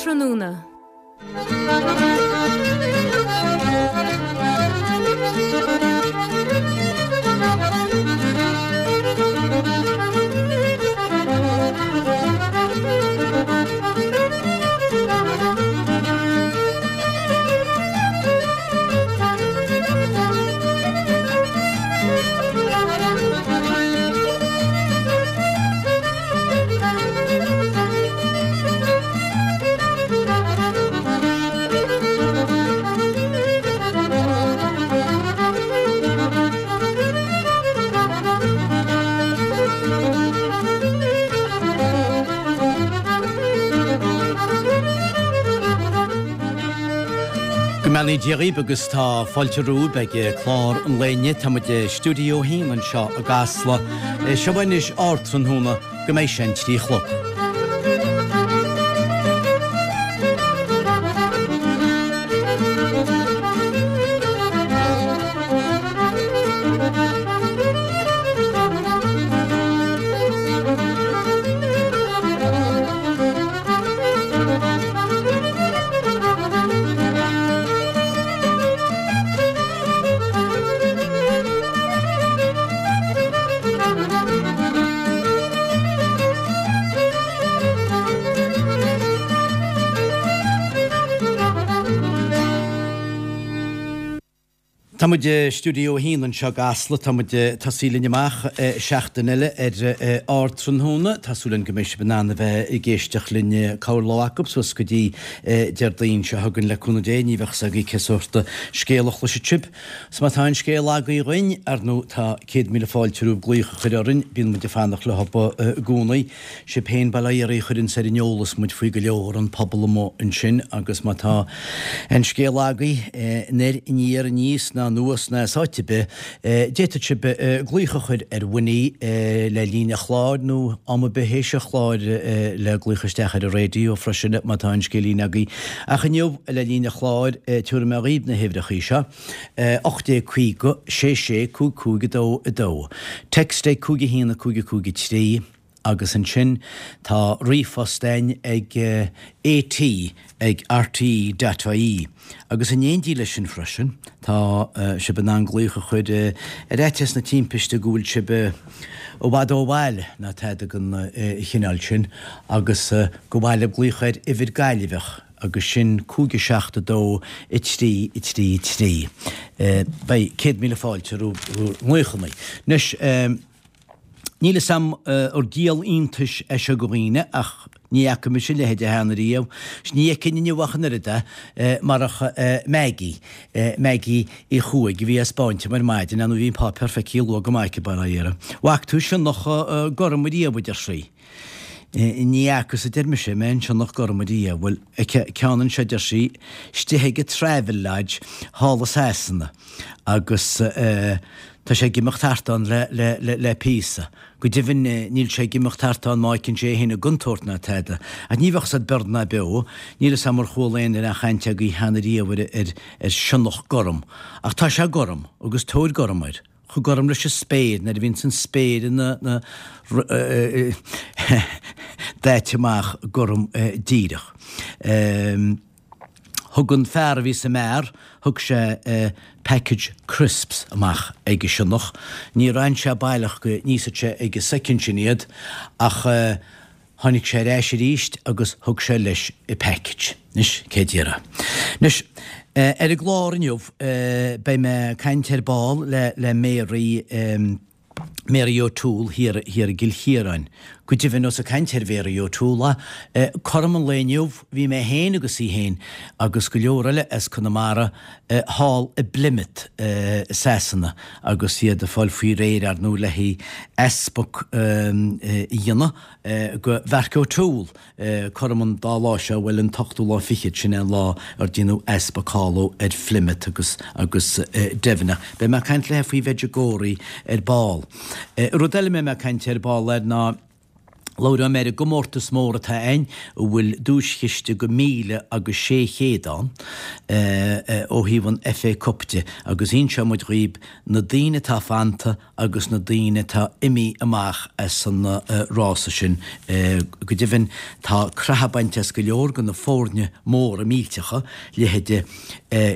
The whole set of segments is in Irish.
Ardtráthnóna. Go mbeannaí Dia dhaoibh agus tá fáilte romhaibh ag clár an lae inniu. Tá muid i Stiúideo 1 anseo i gCasla. Seo anois Ardtráthnóna go mbeidh sé an 3 a chlog. Tá muid i Stiúideo 1 anseo i gCasla. Tá muid ag tosaí linn amach seachtain eile ar Ardtráthnóna. Tá súil againn go mbeidh sibh in ann a bheith ag éisteacht linn corr lá acu suas go dtí Déardaoin seo chugainn le cúnamh Dé. Ní bheadh 's agaibh cé sórt scéal a chloisfidh sibh. 'S má tá aon scéal agaibh dhuinn, ar ndóigh tá 100,000 fáilte romhaibh glaoch a chur orainn, bíonn muid ag fanacht leo i gcónaí. Sibh féin bail ó Dhia oraibh a chuireanns ar an eolas muid faoi go leor, an pobal amuigh ansin, agus má tá aon scéal agaibh, anoir, aniar, aníos ná anuas ná as áit ar bith, d'fhéadfadh sibh glaoch a chur ar Winnie le linn an chláir nó am ar bith théis an chláir le glaoch isteach ar an raidió freisin má tá aon scéilín agaibh. Ach inniu, le linn an chláir, tabharfaidh mé dhaoibh na huimhreachaí seo, 1850 66 55 2 2. Text ag 5 1 5 5 3 agus ansin tá ríomhphost againn ag AT ag rte dot ie agus in éindí leis sin freisin tá sibh in ann glaoch a chur ar fhaitíos na timpiste go bhfuil sibh i bhfad ó bhaile ná tada den chineál sin agus gur mhaith libh glaoch ar uimhir Gaillimheach agus sin 5 7 2 3 3 3. Beidh 100,000 fáilte roimh bhur nglaochanna. Anois, níl 'fhios a'm ar díol iontais é seo go dhaoine ach ní fhaca mise a leithéid cheana riamh, 's ní fheicfinn inniu ach an oiread é, marach Maggie, Maggie Uí Chuaig a bhí á 'spáint dom ar maidin, ar ndóigh bhí an páipéar feicthe luath go maith aici, bail ó Dhia uirthi. 'Bhfaca tú sionnach gorm ariamh, a deir sí. Ní fhacas, a deir mise, mé aon sionnach gorm ariamh. Bhuel, ceann anseo, a deir sí, istigh ag an Travelodge thall i Sasana agus tá sé ag imeacht thart ann le píosa. Go deimhin níl sé ag imeacht thart ann má fheiceann sé é féin i gcontúirt ná tada. Ach ní bheadh 's a'd bord ná beo. Níl 'fhios a'm ar chuala aon duine aon chaint agaibh cheana riamh ar sionnach gorm. Ach tá sé gorm agus tóir gorm air. chomh gorm leis an spéir nuair a bhíonns an spéir ina daite amach gorm díreach. Thug an fear a bhí sa mbeár, thug sé package crisps amach ag an sionnach. Níor fhan sé baileach go n-íosfadh sé ag an soicind sin iad ach Tháinig sé ar ais arís agus thug sé leis an package. Anois, cé déarfá? Anois, ar an gclár inniu, beidh mé ag caint ar ball le le Mary, Mary O'Toole thiar thiar i gCill Chiaráin. Go deimhin, ós ag caint ar Mhary O'Toole, cothrom an lae inniu, bhí mé féin agus í féin agus go leor eile as Conamara thall i bPlymouth i Sasana agus iad ag fáil faoi réir, ar ndóigh, le haghaidh easpag a dhéanamh go Mhark O'Toole cothrom an dá lá seo, bhuel, an t-ochtú lá fichead, sin é an lá ar déanadh easpag thall ar Phlymouth agus agus Devon. Ach beidh mé ag caint léithe faoi Mhedjugorje ar ball. Rud eile a mbeidh mé ag caint ar ball air ná. Labhróidh mé ar an gcomórtas mór atá ann a bhfuil duaischiste go 1,600 ann ó thaobh an FA Cup de agus inseoidh muid dhaoib na daoine atá fanta agus na daoine atá imithe amach as an rása sin. Go deimhin tá croitheadh bainte as go leor de na foirne móra millteacha, leithéide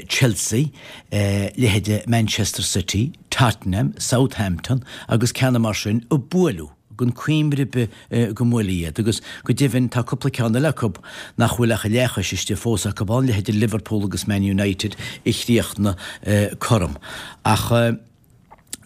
Chelsea, leithéide Manchester City, Tottenham, Southampton agus ceanna mar sin a buaileadh. gan cuimhne ar bith go mbuailfí iad, agus go deimhin tá cúpla ceann eile acu nach bhfuil ach a leathchois istigh fós acu ann, leithéide Liverpool agus Man United a chríochnaigh cothrom. Ach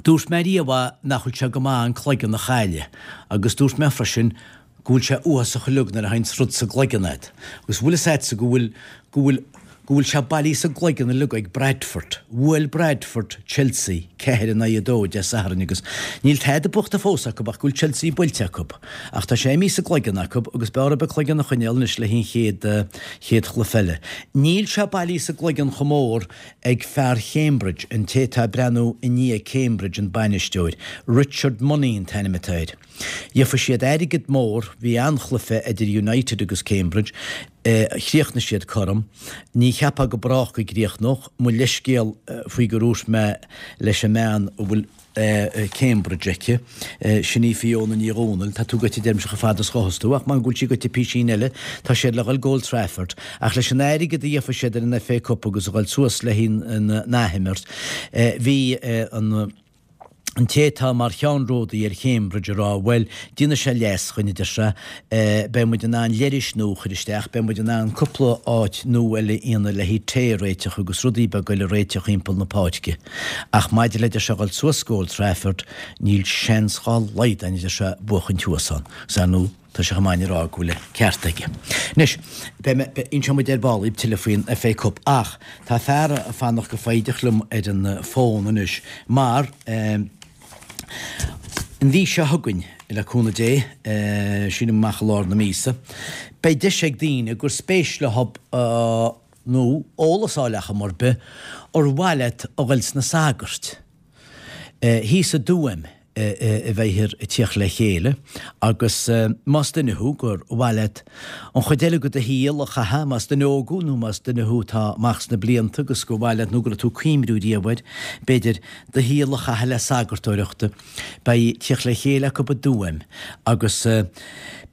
dúirt mé riamh nach bhfuil sé go maith an cloigeann a chailleadh, agus dúirt mé freisin go bhfuil sé uafásach uilig nuair a thaganns rud sa gcloigeann agat. Agus bhfuil fhios a'dsa go bhfuil, go bhfuil, go bhfuil sé bailithe sa gcloigeann uilig ag Bradford. Bhuail Bradford Chelsea 4 in aghaidh 2 Dé Sathairn agus níl tada buachta fós acu ach go bhfuil Chelsea buailte acu. Ach tá sé imithe sa gcloigeann acu agus b'fhearr orthu a gcloigeann a choinneáil anois le haghaidh an chéad, chéad chluiche eile. Níl sé bailithe sa gcloigeann chomh mór ag fear Chambridge, an té atá ag breathnú i ndiaidh Cambridge, an bainisteoir. Richard Money an t-ainm atá air. Gheofaidh siad airgead mór, bhí an-chluiche idir United agus Cambridge, chríochnaigh siad cothrom, ní cheapfá go brách go gcríochnódh, mo leithscéal faoi gur dhúirt mé leis an mbean a bhfuil Cambridge aici, sin í Fiona Ní Dhomhnaill, tá tú goite deirimse chomh fada is ghabhfas tú, ach mar go bhfuil sí goite písín eile, tá siad le dhul go Old Trafford, ach leis an airgead a gheofaidh siad ar an FA Cup agus a dhul suas le haghaidh an athimirt, bhí an. an té atá mar cheannródaí ar Chambridge ag rá, bhuel, déanfaidh sé leas dhuinn, a deir sé, beidh muid in ann leithris nua a chur isteach, beidh muid in ann cúpla áit nua eile a dhéanamh le haghaidh tae a réiteach agus rudaí beaga eile a réiteach thimpeall na páirce. Ach maidir le, a deir sé, dhul suas go Old Trafford, níl seans dhá laghad againn, a deir sé, buachaint thuas ann. Agus ar ndóigh, Tá sé chomh maith a rá go bhfuil an ceart aige. Anois, beidh mé, inseoidh muid ar ball daoibh tuilleadh faoin FA Cup ach tá fear ag fanacht go foighdeach liom ar an bhfón anois mar an mhí seo chugainn, le cúnamh Dé, sílim amach i lár na míosa, beidh deis ag daoine gur spéis leo nó eolas a fháil ar chuma ar bith, ar mhaith leat a dhul sna sagairt. Thíos i dTuaim a bheifear ag tíocht le chéile agus más duine thú gur mhaith leat an chuid eile de do shaol a chaitheamh, más duine óg thú nó más duine thú atá amach sna blianta agus gur mhaith leat nó go raibh tú ag cuimriú riamh air, b'fhéidir, do shaol a chaitheamh le sagartóireacht, beidh tíocht le chéile acu i dTuaim agus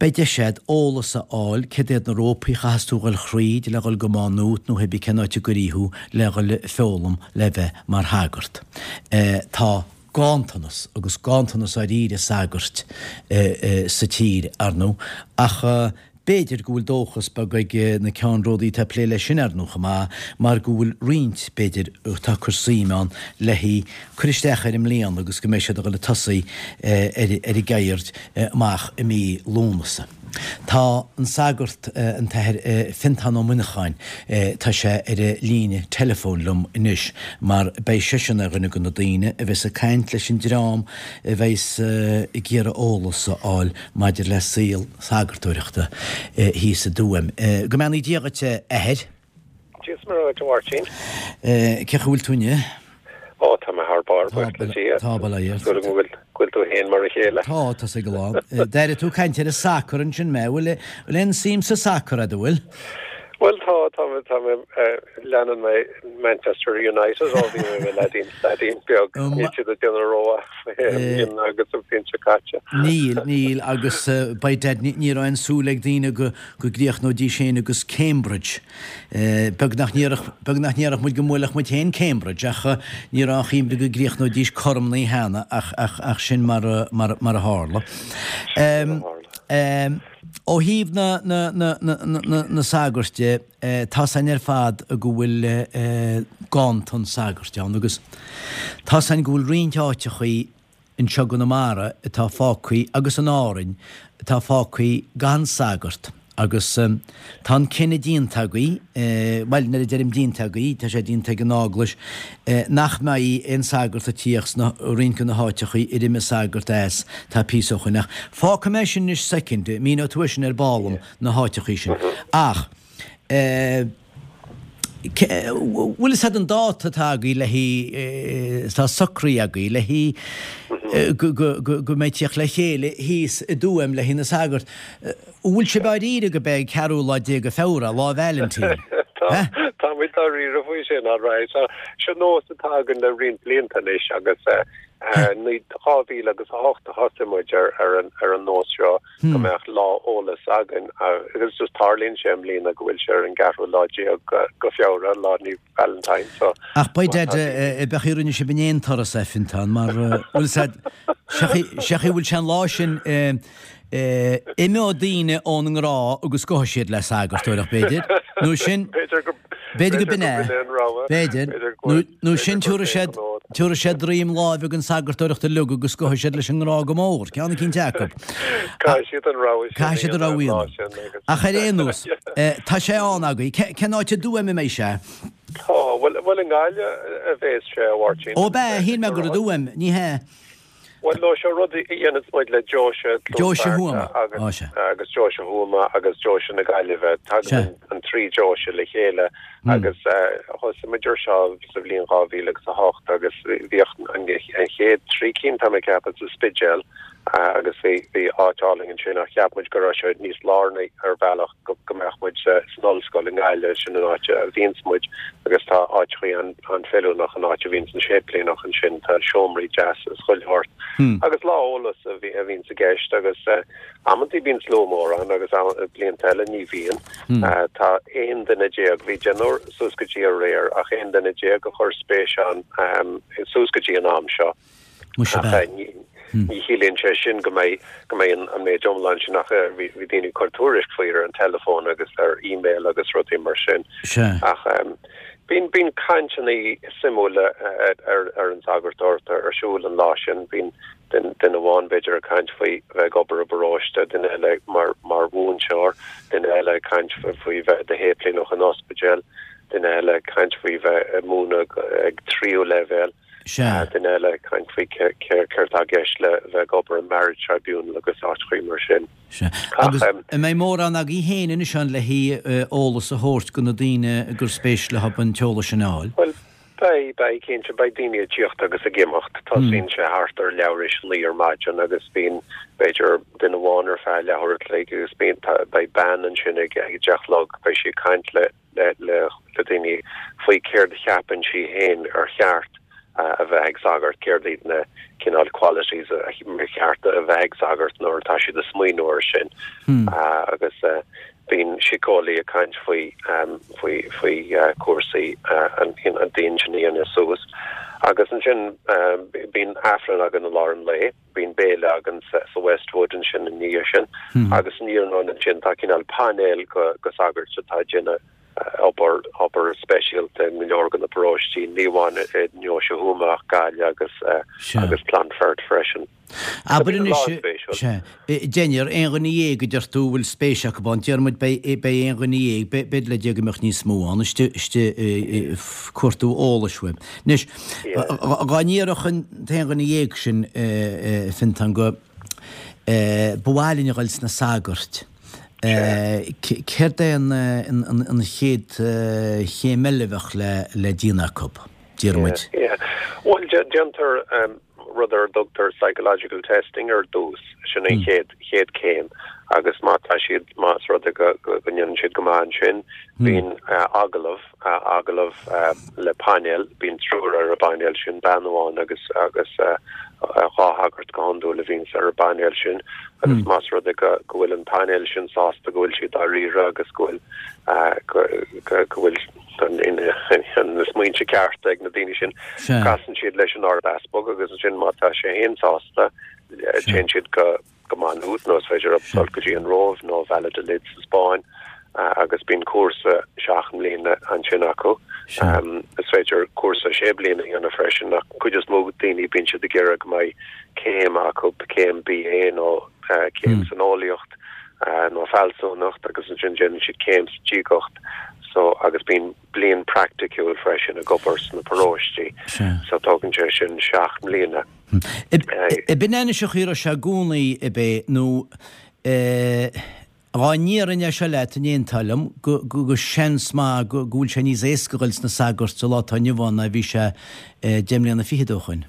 beidh deis agat eolas a fháil céard iad na rópaí a chaithfeas tú dhul thríd le dhul go Má Nuat nó hébí cén áit a gcuirfí thú le dhul ag foghlaim le bheith mar shagart. Tá ganntanas, agus ganntanas dáiríre sagairt sa tír, ar ndóigh, ach b'fhéidir go bhfuil dóchas beag ag na ceannródaí atá ag plé leis sin, ar ndóigh, chomh maith, mar go bhfuil roinnt, b'fhéidir, atá ag cur suim ann le haghaidh cur isteach air i mbliana agus go mbeidh siad ag dul ag tosaí ar an gceird amach i mí Lúnasa. Tá an sagart, an tAthair Fiontán Ó Muineacháin, tá sé ar an líne teileafóin liom anois mar beidh seisean ar dhuine de na daoine a bheas ag caint leis an dream a bheas ag iarraidh eolas a fháil maidir le saol sagartóireachta thíos i dTuaim. Go mbeannaí Dia dhuit, a Athair. Dia is Muire dhuit, a Mháirtín. Cén chaoi a bhfuil tú inniu? Ó, tá mé thar barr, buíochas le Dia. Tá, bail ó Dhia ort. Súil agam go bhfuil, go bhfuil tú féin mar a chéile. Tá, tá's ag a lán. D'airigh tú caint ar an sacar ansin mé. Bhfuil, bhfuil aon suim sa sacar a'd, an bhfuil? Bhuel, tá, tá mé, tá mé, leanann mé Manchester United ó bhí mé i mo leaidín, leaidín beag. Níl siad ag déanamh rómhaith i mbliana agus an bhliain seo caite. Níl, níl, agus by dad, ní raibh aon súil ag daoine go, go gcríochnóidís féin agus Cambridge. Beag nach ndéarfadh muid go mbuailfeadh muid féin Cambridge ach ní raibh aon chuimhne go gcríochnóidís cothrom na cheana ach sin mar a tharla. Ó thaobh na sagairt de, tá's againn ar fad go bhfuil ganntan sagairt ann agus tá's againn go bhfuil roinnt áiteachaí anseo i gConamara atá fágthaí agus in Árainn atá fágthaí gan sagart agus tá an cinneadh déanta agaí, bhuel nuair a deirim déanta agaí, tá sé déanta ag an Eaglais, nach mbeidh aon sagart ag tíocht sna roinnt de na háiteachaí ar imigh sagart as tá píosa ó shoin ach fágfaidh mé sin anois soicind, míneoidh tú é sin ar ball dom, na háiteachaí sin. Ach eh. Bhfuil fhios a'd an dáta atá agaibh le haghaidh, atá socraithe agaibh le haghaidh go go mbeidh tíocht le chéile thíos i dTuaim le haghaidh na sagart. An bhfuil sibh dáiríre go b'é an ceathrú lá déag de Feabhra, Lá Vailintín? Tá, tá muid dáiríre faoi sin, alright. Seo nós atá againn le roinnt blianta anois agus 2000 agus 8 a thosaigh muid ar ar an ar an nós seo go mbeadh lá eolais againn agus just tarlaíonn sé i mbliana go bhfuil sé ar an gceathrú lá déag go Feabhra, Lá Naomh Valentine so. Ach by dad, b'é an chaoi a rinne sibh in aon turas é, Fintán, mar bhfuil fhios a'd, sé an chaoi a bhfuil sé an lá sin, Imeoidh daoine ón ngrá agus gabhfaidh siad le sagartóireacht, b'fhéidir. Nó sin, b'fhéidir go b'in é. B'fhéidir. Nó sin, tabharfaidh siad, tabharfaidh siad droim láimhe don sagartóireacht uilig agus gabhfaidh siad leis an ngrá go mór. Ceann eicínt acu. Caithfidh siad an rogha sin a Caithfidh siad an rogha a dhéanamh. Ach ar aon nós, tá sé ann agaibh. Cén áit i dTuaim a mbeidh sé? Tá, bhuel, bhuel i nGaillimh a bheas sé, a Mháirtín. Ó, b'ea, shíl mé gur i dTuaim. Ní hea. Bhuel, no, seo rud a dhéananns muid le Deoise Chluain Fearta agus agus Deoise Thuama agus Deoise na Gaillimhe. Tagann an trí deoise le chéile agus thosaigh muid ar seo sa bhliain 2000 agus 8 agus bhíodh an chéad trí cinn, tá mé ag ceapadh, sa Spidéal agus bhí bhí áit álainn ansin ach cheap muid go raibh sé níos lárnaí ar bhealach go mbeadh muid san ollscoil i nGaillimh, sin an áit a bhíonns muid agus tá áiteachaí an-fheiliúnach an áit a bhíonns an séiplíneach ansin, tá seomraí deasa is chuile shórt. Agus lá eolais a bhíonns i gceist agus amantaí bíonn slua mór ann agus blianta eile ní bhíonn. Tá 11 duine, bhí deichniúr suas go dtí aréir ach 11 duine a chuir spéis ann suas go dtí an am seo. Muise Ach b'ea. ní chiallaíonn sé sin go mbeidh go mbeidh an méid iomlán sin ach bhí bhí daoine ag cur tuairisc faoi ar an teileafón agus ar email agus rudaí mar sin. Sea. Ach bíonn bíonn cainteanna suimiúla ar ar an sagartóireacht ar siúl an lá sin. Bíonn duine duine amháin b'fhéidir ag caint faoi bheith ag obair i bparóiste, duine eile mar mar mhúinteoir, duine eile ag caint faoi bheith i do shéiplíneach in ospidéal, duine eile ag caint faoi bheith ag múineadh ag tríú leibhéal. Sea. Duine eile ag caint faoi céard atá i gceist le bheith ag obair i marriage tribunal agus áiteachaí mar sin. Sea. Agus an mbeidh mórán agaibh féin anois ann le haghaidh eolas a thabhairt go na daoine gur spéis leo an t-eolas sin a fháil? Bhuel, beidh, beidh, cinnte. Beidh daoine ag tíocht agus ag imeacht. Tosaíonn sé thart ar leathuair théis a naoi ar maidin agus bíonn, b'fhéidir, duine amháin ar feadh leathuair a chloig agus bíonn, beidh bean ansin ag a deich a chlog, beidh sí ag caint le, le le daoine faoi céard a cheapann sí féin ar cheart a bheith ag sagart, céard iad na cineál qualities a cheart a bheith ag sagart nuair atá siad ag smaoineamh air sin. Agus bíonn síceolaí ag caint faoi faoi faoi cúrsaí an d'intinne a dhéanamh suas. Agus ansin bíonn Aifreann againn i lár an lae. Bíonn béile againn sa Westwood ansin i ndiaidh sin agus san iarnóin ansin tá cineál painéal go sagairt atá ag déanamh obair obair speisialta i go leor de na paróistí, ní amháin i nDeoise Thuama ach Gaillimh agus agus Clonfert freisin. Abair anois, sea, deichniúr, aon dhuine dhéag a deir tú a bhfuil spéis acu ann, déarfaidh muid beidh beidh aon dhuine dhéag, b'fhéidir le Dia go mbeadh níos mó ann, istigh istigh ag cuartú eolais uaibh. Anois, dá ndéarfadh an t-aon dhuine dhéag sin, a Fionntán, go ba mhaith linn a dhul sna sagairt, céard é an chéad chéim eile a bheadh le déanamh acu, déarfaidh muid? Bhuel, déantar rud ar a dtugtar psychological testing ar dtús, sin an chéad chéad chéim agus má tá siad, más rud é go ndéanann siad go maith ansin, bíonn agallamh. agallamh le painéal, bíonn triúr ar an bpainéal sin, bean amháin agus agus dhá shagart go hiondúil a bhíonns ar an bpainéal sin agus más rud é go go bhfuil an painéal sin sásta go bhfuil siad dáiríre agus go bhfuil go go bhfuil na smaointe cearta ag na daoine sin, casann siad leis an Ard-Easpag agus ansin má tá sé féin sásta téann siad go go Maigh Nuad nó is féidir leo dul go dtí an Róimh nó Valladolid sa Spáinn agus bíonn cúrsa seacht mbliana ansin acu. Is féidir cúrsa sé bliana a dhéanamh freisin ach an chuid is mó daoine bíonn siad ag iarraidh go mbeidh céim acu, céim BA nó céim san eolaíocht nó fealsúnacht agus ansin déanann siad céim sa diagacht so agus bíonn bliain praiticiúil freisin ag obair sna paróistí so tógann sé sin seacht mbliana. Ab in é anois an chaoi a raibh sé i gcónaí, ab é, nó an Dhá ndéarfainn é seo leat, an aontófá liom, go, go, go seans maith go, go bhfuil sé níos éasca dhul sna sagairt sa lá atá inniu ann ná a bhí sé deich mbliana fichead ó shoin.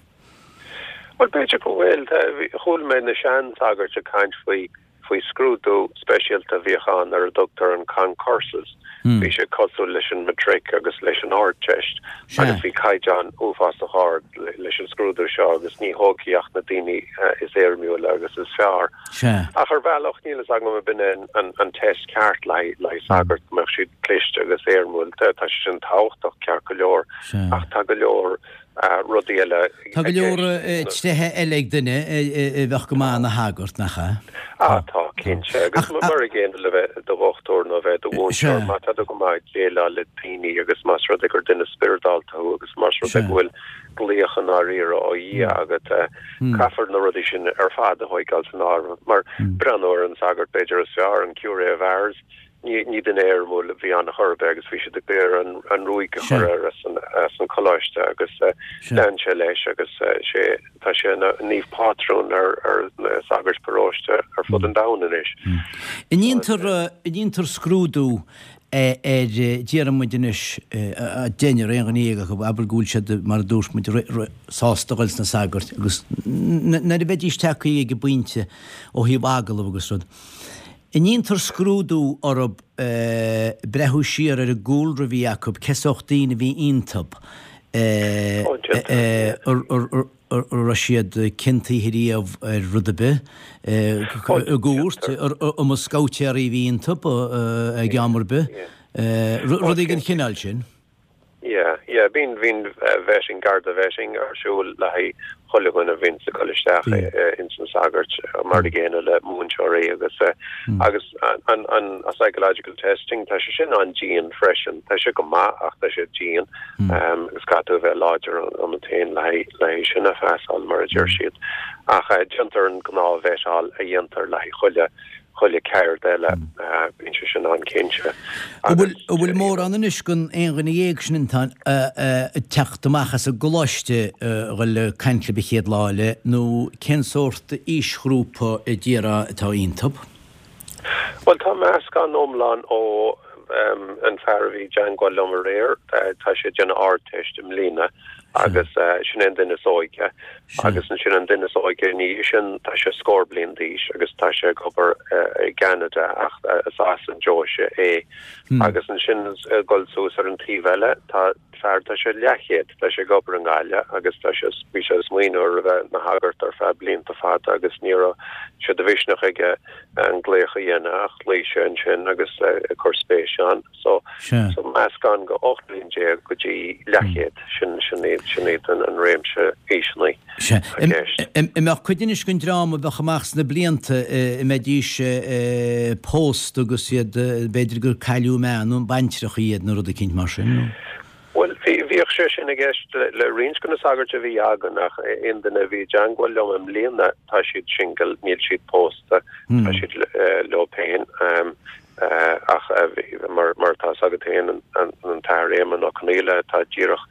Bhuel, b'fhéidir go bhfuil. Chuala mé na sean-sagairt ag caint faoi faoi scrúdú speisialta a bhíodh ann ar a dtugtar an concursus. Bhí sé cosúil leis an matric agus leis an Ardteist agus bhí caighdeán uafásach ard leis an scrúdú seo agus ní thógfaí ach na daoine is éirimiúla agus is fearr. Ach ar bhealach níl fhios agam ab in é an test ceart le haghaidh sagart, go mbeadh siad cliste agus éirimiúil. Tá sé sin tábhachtach ceart go leor ach tá go leor rudaí eile i Tá go leor tréithe eile ag duine a bheadh go maith ina shagart, nach ea? Ah, tá, cinnte. Agus mar an gcéanna le bheith i do dhochtúir nó bheith i do mhúinteoir, má tá tú go maith ag déileáil le daoine agus más rud é gur duine spioradálta thú agus más rud é go bhfuil glaoch i ndáiríre ó Dhia agat, caithfear na rudaí sin ar fad a thóigeáil san áireamh. Mar breathnú ar an sagart b'fhéidir is fearr, an curé of Ars, Ní duine éirimiúil a bhí ann chor ar bith agus bhí siad ag iarraidh an ruaig a chur air as an choláiste agus lean sé leis agus sé tá sé ina naomh pátrún ar na sagairt paróiste ar fud an domhain anois. An ndéantar an ndéantar scrúdú ar déarfaidh muid anois deichniúr aon dhuine dhéag acu abair go bhfuil siad mar a dúirt muid sásta dhul sna sagairt agus nuair a bheidís tagtha ag an bpointe ó thaobh agallamh agus rud. An ndéantar scrúdú orthub breathnú siar ar an gcúlra a bhí acu, cé sórt daoine a bhí iontub, an raibh siad ciontaithe riamh ar rud ar bith i gcúirt, an mba scabhtéaraí a bhí iontub ag am ar bith, rudaí den chineál sin. Yeah, yeah, bíonn, bíonn vetting, Garda vetting ar siúl le haghaidh chuile dhuine a bhíonns ag dul isteach ins na sagairt, mar an gcéanna le múinteoirí agus, agus an, an psychological testing, tá sé sin an-dian freisin, tá sé go maith ach tá sé dian agus caithfidh tú a bheith láidir ionat féin le haghaidh, le haghaidh sin a phasáil mar a deir siad. Ach déantar an gnáth-vettáil a dhéantar le haghaidh chuile, chuile ceird eile, bíonn sé sin an-cinnte. An bhfuil mórán anois den aon dhuine dhéag sin atá ag teacht amach as an gcoláiste a dhul ag caint libh an chéad lá eile nó cén sórt aoisghrúpa a déarfá atá iontub? Bhuel tá meascán iomlán ó an fear a bhí i dteangmháil liom aréir, tá sé ag déanamh Ardteist i mbliana agus sin é an duine is óige. Agus ansin an duine is óige ina dhiaidh sin, tá sé scór bliain d'aois agus tá sé ag obair i gCeanada ach is as an deoise é. Agus ansin ag dul suas ar an taobh eile, tá fear, tá sé leathchéad, tá sé ag obair i nGaillimh agus tá sé, bhí sé ag smaoineamh ar a bheith ina shagart ar feadh blianta fada agus ní raibh sé de mhisneach aige an glaoch a dhéanamh ach ghlaoigh sé ansin agus ag cur spéise ann. So, so meascán de 18 bliain go dtí leathchéad, sin, sin iad, sin iad an, an réimse aoiseanna Sea. i gceist. An mbeadh cuid anois den dream a bheadh amach sna blianta, a mbeidís pósta agus iad, b'fhéidir gur cailleadh a mbean nó baintreacha iad nó rud eicínt mar sin, nó? Bhuel, bhí, bhíodh sé sin i gceist le, le roinnt de na sagairt a bhí againn ach aon duine a bhí i dteangmháil liom i mbliana, tá siad single, níl siad pósta, tá siad leo féin. Ach mar atá fhios agat féin, an tAthair Éamonn Ó Conaola atá díreach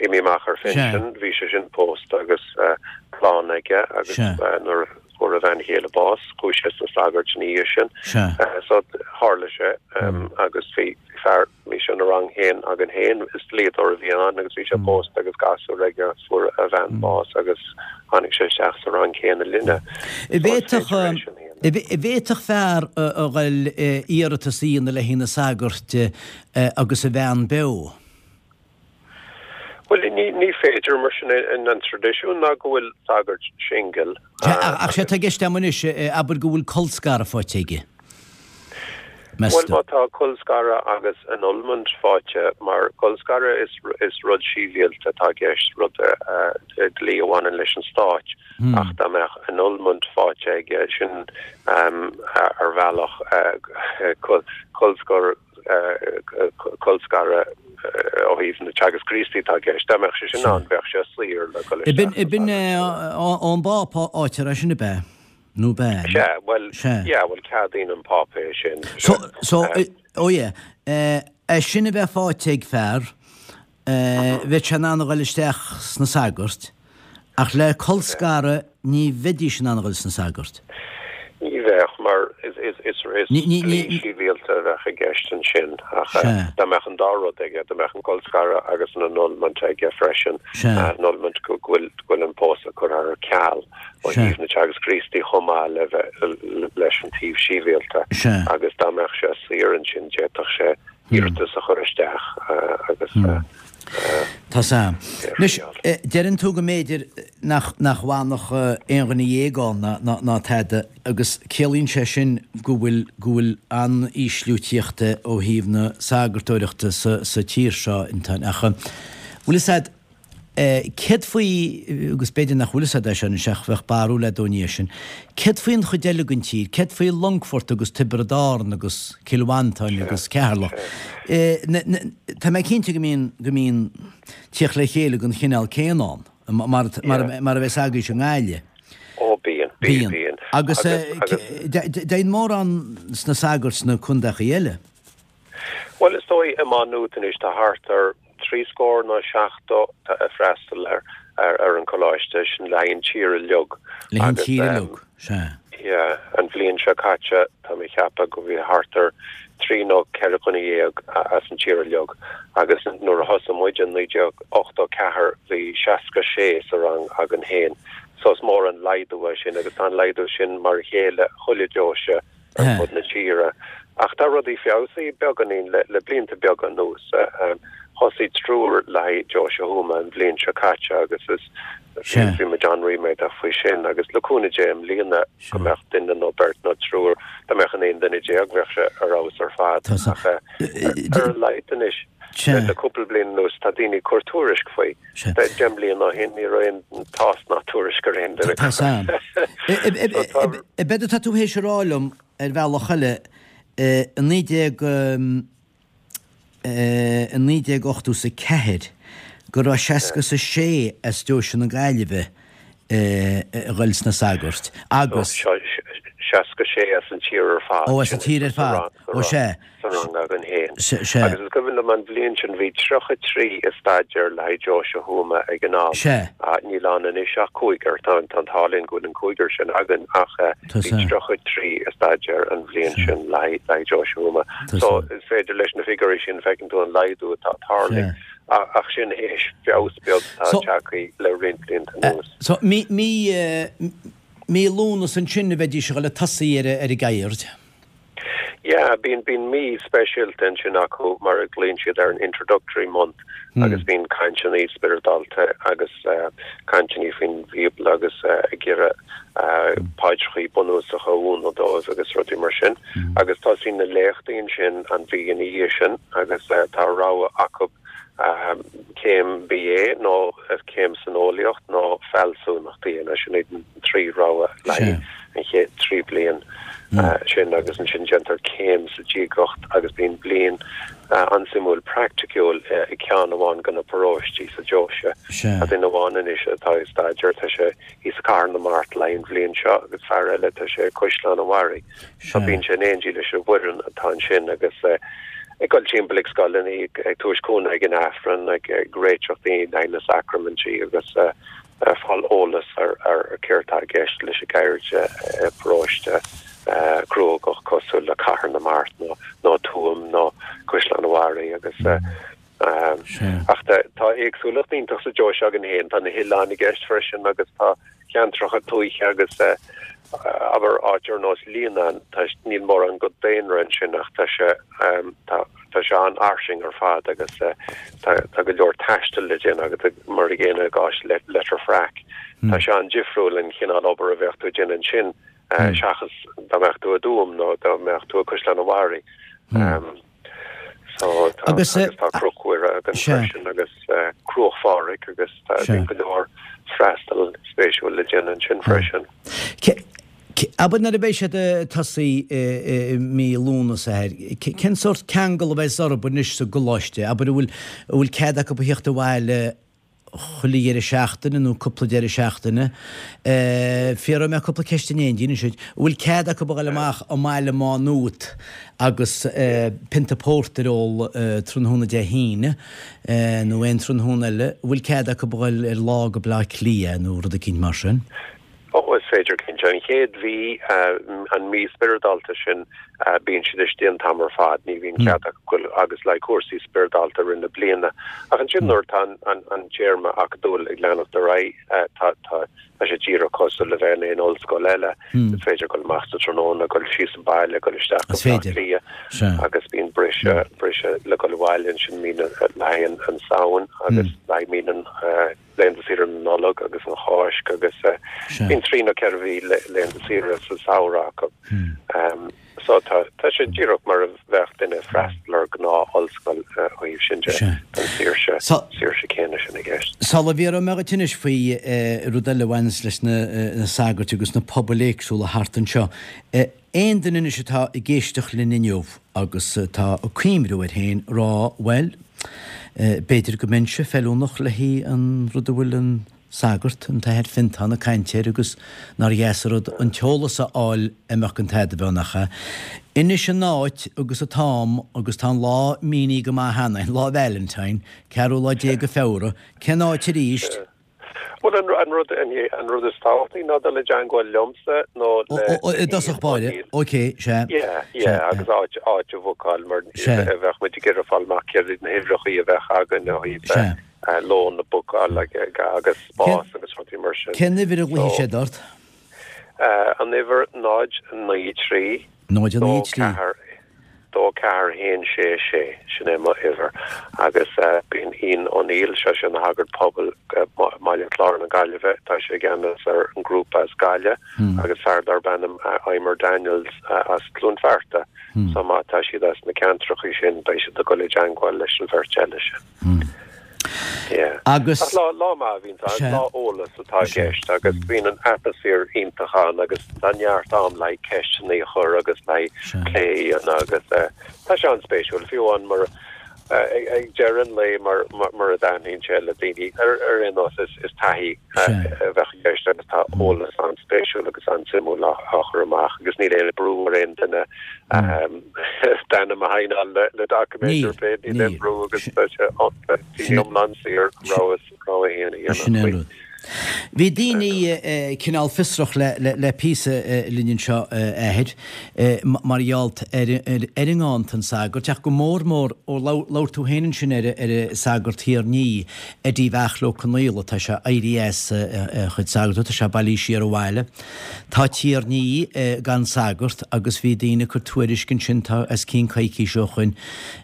imithe amach ar phinsean, bhí sé sin pósta agus clann aige agus nuair a fuair a bhean chéile bás, chuaigh sé sna sagairt ina dhiaidh sin. So tharla sé agus bhí fear, Bhí sé ina rang féin againn féin, is dlíodóir a bhí ann agus bhí sé pósta agus gasúr aige agus fuair a bhean bás agus tháinig sé isteach sa rang céanna linne. An bhféadfadh fear a ghoil iarratas a dhéanamh le haghaidh na sagairt agus a bhean beo? Bhuel, ní féidir, mar sin é an traidisiún ná go bhfuil sagart singil. Ach sé atá i gceist agam anois, abair go bhfuil colscaradh faighte aige. Meas Bhuel, má tá colscaradh agus annulment faighte, mar colscaradh is, is rud sibhialta atá i gceist, rud dlí a bhaineann leis an stáit, ach dá mbeadh annulment faighte aige, sin ar bhealach colscar, colscaradh ó thaobh na Teagasc Críostaí atá i gceist. Dá mbeadh sé sin ann, bheadh sé saor le dul isteach. B'in ón bPápa a fhaightear é sin, ab ea? Nó bean? Sea, bhuel, yeah, bhuel, ceadaíonn an Pápa é sin. So, so, oh yeah, é sin a bheith faighte ag fear, bheadh sé in ann a dhul isteach sna sagairt, ach le colscaradh ní bheidís in ann a dhul sna sagairt. Ní bheadh, mar is. is dlí sibhialta a bheadh i gceist ansin ach dá mbeadh an dá rud aige, dá mbeadh an colscaradh agus an annulment aige freisin, annulment go bhfuil an pósadh curtha ar ceal ó thaobh na Teagasc Críostaí chomh maith le bheith leis an taobh sibhialta agus dá mbeadh sé saor ansin d'fhéadfadh sé iarratas a chur isteach agus Tá 's a'm. Anois, deireann tú go mb'fhéidir nach nach bhfanfadh aon dhuine dhéag ann ná ná tada agus ciallaíonn sé sin go bhfuil go bhfuil an-ísliú tíochta ó thaobh na sagartóireachta sa sa tír seo, Antoine. Ach bhfuil fhios a'd, céard faoi, agus b'fhéidir nach bhfuil fhios a'd é seo anois ach bheadh barúil a'd ón ndiaidh sin, céard faoi an chuid eile den tír, céard faoi Longfort agus Tiobraid Árann agus Cill Mhantáin agus Ceatharlach? Tá mé cinnte go mbíonn, go mbíonn tíocht le chéile den chineál céanna ann, mar, mar, mar a bheas agaibhse i nGaillimh. Ó bíonn, bíonn, bíonn. Agus dtéann mórán sna sagairt sna contaechaí eile. Bhuel, is dóigh i Má Nuat anois tá thart ar thrí scór nó 70 ag freastal ar ar an choláiste, sin le haghaidh an tír uilig. Le haghaidh an tír uilig, sea. Yeah, an bhliain seo caite tá mé ag ceapadh go bhí thart ar thrí nó 14 dhuine as an tír uilig agus nuair a thosaigh muid in 1984 bhí 66 sa rang againn féin. So is mór an laghdú é sin agus tá an laghdú sin mar a chéile chuile deoise. ar fud na tíre. Ach tá rudaí feabhsaithe beagáinín le blianta beaga anuas. Thosaigh triúr le haghaidh Deoise Thuama an bhliain seo caite agus is bhí muid an-ríméadach faoi sin. Agus le cúnamh Dé i mbliana go mbeadh duine nó beirt nó triúr, dá mbeadh an aon duine déag bheadh sé ar fheabhas ar fad. Ach ar a laghad anois le cúpla bliain anuas tá daoine ag cur tuairisc faoi. 10 mbliana ó shin ní raibh aon tásc ná tuairisc ar aon duine. Tá 's a'm. Ab éard atá tú théis a rá liom ar bhealach eile, i 19, i 1984 go raibh 66 as Deoise na Gaillimhe a ghoil sna sagairt agus. 66 as an tír ar fad. Ó, as an tír ar fad. Ó, sea. sa rang againn féin. Agus is cuimhin liom an bhliain sin bhí 33 ag staidéar le haghaidh Deoise Thuama ag an am. Níl ann anois ach cúigear. Tá an t-ádh linn go bhfuil an cúigear sin againn ach bhí 33 ag staidéar an bhliain sin le haghaidh Deoise Thuama. So is féidir leis na figiúirí sin feiceann tú an laghdú atá tarlaithe. Ach sin théis feabhas beag atá tagtha le roinnt blianta anuas. So mí mí Lúnasa ansin a bheidís ag dul ag tosaí ar an gceird. Yeah, bíonn, bíonn mí speisialta ansin acu mar a ghlaonn siad air an introductory month agus bíonn cainteanna spioradálta agus cainteanna faoin Bhíobla agus ag iarraidh paidreachaí bunúsacha a mhúineadh dóibh agus rudaí mar sin. Agus tosaíonn na léachtaí ansin an mhí ina dhiaidh sin agus tá rogha acu céim BA nó céim san eolaíocht nó fealsúnacht a dhéanamh. Sin iad an trí rogha le haghaidh an chéad trí bliain sin agus ansin déantar céim sa diagacht agus bíonn bliain an-suimiúil praiticiúil i gceann amháin de na paróistí sa deoise. Tá duine amháin anois atá ag staidéar, tá sé thíos i Cathair na Mart le haghaidh an bhliain seo agus fear eile tá sé i Caisleán an Bharraigh. So bíonn sé in éindí leis an bhfoireann atá ansin agus ag dul timpeall ag scoileanna, ag tabhairt cúnamh ag an Aifreann, ag réiteach daoine le haghaidh na sacraimintí agus ag fáil eolas ar céard atá i gceist leis an gceird i bparóiste cruógach cosúil le Cathair na Mart nó Tuaim nó Caisleán an Bharraigh agus Ach tá éagsúlacht iontach sa deoise againn féin. Tá na hoileáin i gceist freisin agus tá ceantracha tuaithe agus abair áit ar nós Líonán, níl mórán go daonra ansin ach tá sé tá sé an-fhairsing ar fad agus tá go leor taistil le déanamh agat mar an gcéanna i gcás Leitir Fraic. Tá sé an-difriúil an chineál obair a bheadh tú ag déanamh ansin seachas dá mbeadh tú i dTuaim nó dá mbeadh tú i Caisleán an Bharraigh. So tá agus tá Cnoc Mhuire againn freisin agus Cruach Phádraig agus tá go leor freastal spéisiúil le déanamh ansin freisin. Abair nuair a bheidh siad ag tosaí i mí Lúnasa, cén sórt ceangal a bheas orthu anois sa gcoláiste? Abair an bhfuil an bhfuil cead acu a theacht abhaile chuile dheireadh seachtaine nó cúpla deireadh seachtaine. Fiafróidh mé cúpla ceist in éindí anois duit. An bhfuil cead acu a dhul amach i mbaile Má Nuat agus pionta pórtair a ól tráthnóna Dé hAoine nó aon tráthnóna eile? An bhfuil cead acu a dhul ar lá go Bleá Cliath nó rud eicínt mar sin? Ó, is. féidir cinnte. An chéad mhí, an mí spioradálta sin, bíonn siad istigh an t-am ar fad, ní bhíonn cead acu goil agus le haghaidh cúrsaí spioradálta i rith na bliana. Ach ansin nuair atá an téarma acadúil ag leanacht ar aghaidh, tá tá sé díreach cosúil le bheith in aon ollscoil eile. Is féidir dul amach sa tráthnóna, dul síos an baile, dul isteach go Is Bleá féidir. Cliath Sea. agus bíonn briseadh, briseadh le dul abhaile ansin mí na, le haghaidh an Samhain agus le haghaidh mí na, laethanta saoire na Nollag agus an Cháisc agus bíonn 3 nó 4 mhí laethanta saoire sa samhradh acu. So tá tá sé díreach mar a bheadh duine ag freastal ar gnáth ollscoil ó thaobh sin de, an saoirse saoirse céanna sin i gceist. Sula bhfiafróidh mé dhuit anois faoi rud eile a bhaineas leis na sagairt agus na pobail éagsúla thart anseo, Aon duine anois atá ag éisteacht linn inniu agus atá ag cuimhniú air féin, rá, bhuel, b'fhéidir go mbeinnse feiliúnach le haghaidh an rud a bhfuil an sagart, an tAthair Fiontán ag caint air agus nár dheas an rud an t-eolas a fháil a mbeadh an t-adamh ann, nach ea? Inis an áit agus an t-am agus tá an lá mínithe go maith cheana, Lá Valentine, ceathrú lá déag de Feabhra, cén áit arís? Bhuel, an rud, an rud is tábhachtaí ná dul i dteangmháil liomsa nó le Ó, i dtosach báire, ok, sea. Yeah, yeah, agus áit, áit a bhookáil mar bheadh muid ag iarraidh fáil amach céard iad na huimhreachaí a bheadh againn ó thaobh lón a bhookáil agus spás agus rudaí mar sin. Cén uimhir a ghlaofaidh siad ort? An uimhir 0 9 3 0 9 3. 4 2 4 1 6 6, sin é mo uimhir. Agus bíonn Ian O'Neill, sé sin ina shagart pobail i mBaile Chláir na Gaillimhe, tá sé i gceannas ar an ngrúpa as Gaillimh agus fear darb ainm Eimear Daniels as Cluain Fearta. So má tá siad as na ceantrachaí sin, beidh siad ag dul i dteangmháil leis an bheirt eile sin. Yeah. Agus. Ach lá, lá maith a bhíonn ann, lá eolas atá i gceist agus bíonn an atmaisféar iontach ann agus tá neart am le haghaidh ceisteanna a chur agus le haghaidh plé a dhéanamh agus tá sé an-spéisiúil, fiú amháin mar ag deireadh an lae mar mar a dtaitníonn sé le daoine ar ar aon nós is is taithí a bheadh i gceist agus tá eolas an-spéisiúil agus an-suimiúil á á chur amach agus níl aon brú ar aon duine D'ainm a shaighneáil le doiciméid ar bith, níl aon bhrú agus tá sé iomlán saor rogha rogha féin a dhéanamh Sin é an faoi. rud. Bhí daoine cineál fiosrach le píosa linn anseo, a Athair, mar gheall ar ar an nganntan sagairt, ach go mór mór, ó labhair tú féin ansin ar an sagart Thír an Fhia, Eddie Bheartla Ó Conaola, tá sé éirithe as a chuid sagartachta, tá sé bailithe siar abhaile. Tá Tír an Fhia gan sagart agus bhí daoine ag cur tuairisc ansin tá os cionn coicís ó shoin,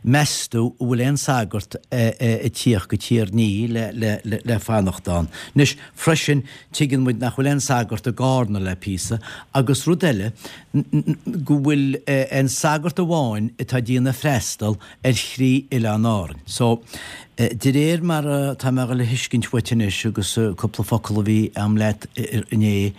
meastú an bhfuil aon sagart ag tíocht go Tír an Fhia le fanacht ann. Anois, freisin, tuigeann muid nach bhfuil aon sagart i gCárna le píosa agus rud eile, go bhfuil aon sagart amháin atá ag déanamh freastal ar thrí oileán Árainn. So, de réir mar atá mé a dhul a thuiscint uait anois agus cúpla focal a bhí a'm leat inné,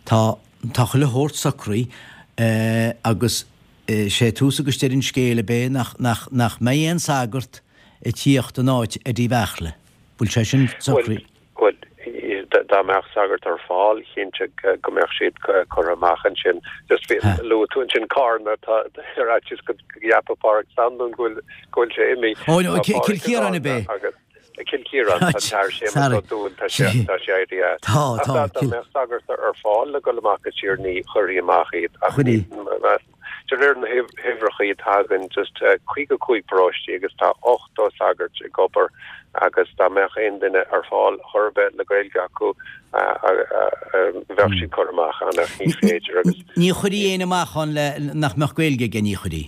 tá, tá chuile shórt socraithe agus sé tús agus deireadh an scéil ab é nach, nach, nach mbeidh aon sagart ag tíocht in áit Eddie Bheartla. Bhfuil sé sin socraithe? Bhuel, dá mbeadh sagart ar fáil, cinnte go mbeadh siad curtha amach ansin. Just bhí, luaigh tú ansin Cárna, tá ar fhaitíos go gceapfadh Páraic Standún go bhfuil, go bhfuil sé imithe. Ó, no, Cill Chiaráin ab é? Agus, Cill Chiaráin, tá an tAthair Séamus Ó Dúill, tá sé, tá sé éirithe as. Tá, tá. Ach dá mbeadh sagart ar fáil le dul amach go Tír an Fhia, chuirfí amach iad. Ach Chuirfí. De réir na huimhreacha atá againn, just 55 paróistí agus tá 80 sagart ag obair agus dá mbeadh aon duine ar fáil chor ar bith le Gaeilge acu bheadh siad curtha amach ann ach ní féidir agus. Ní chuirfí éinne amach ann le nach mbeadh Gaeilge aige, ní chuirfí.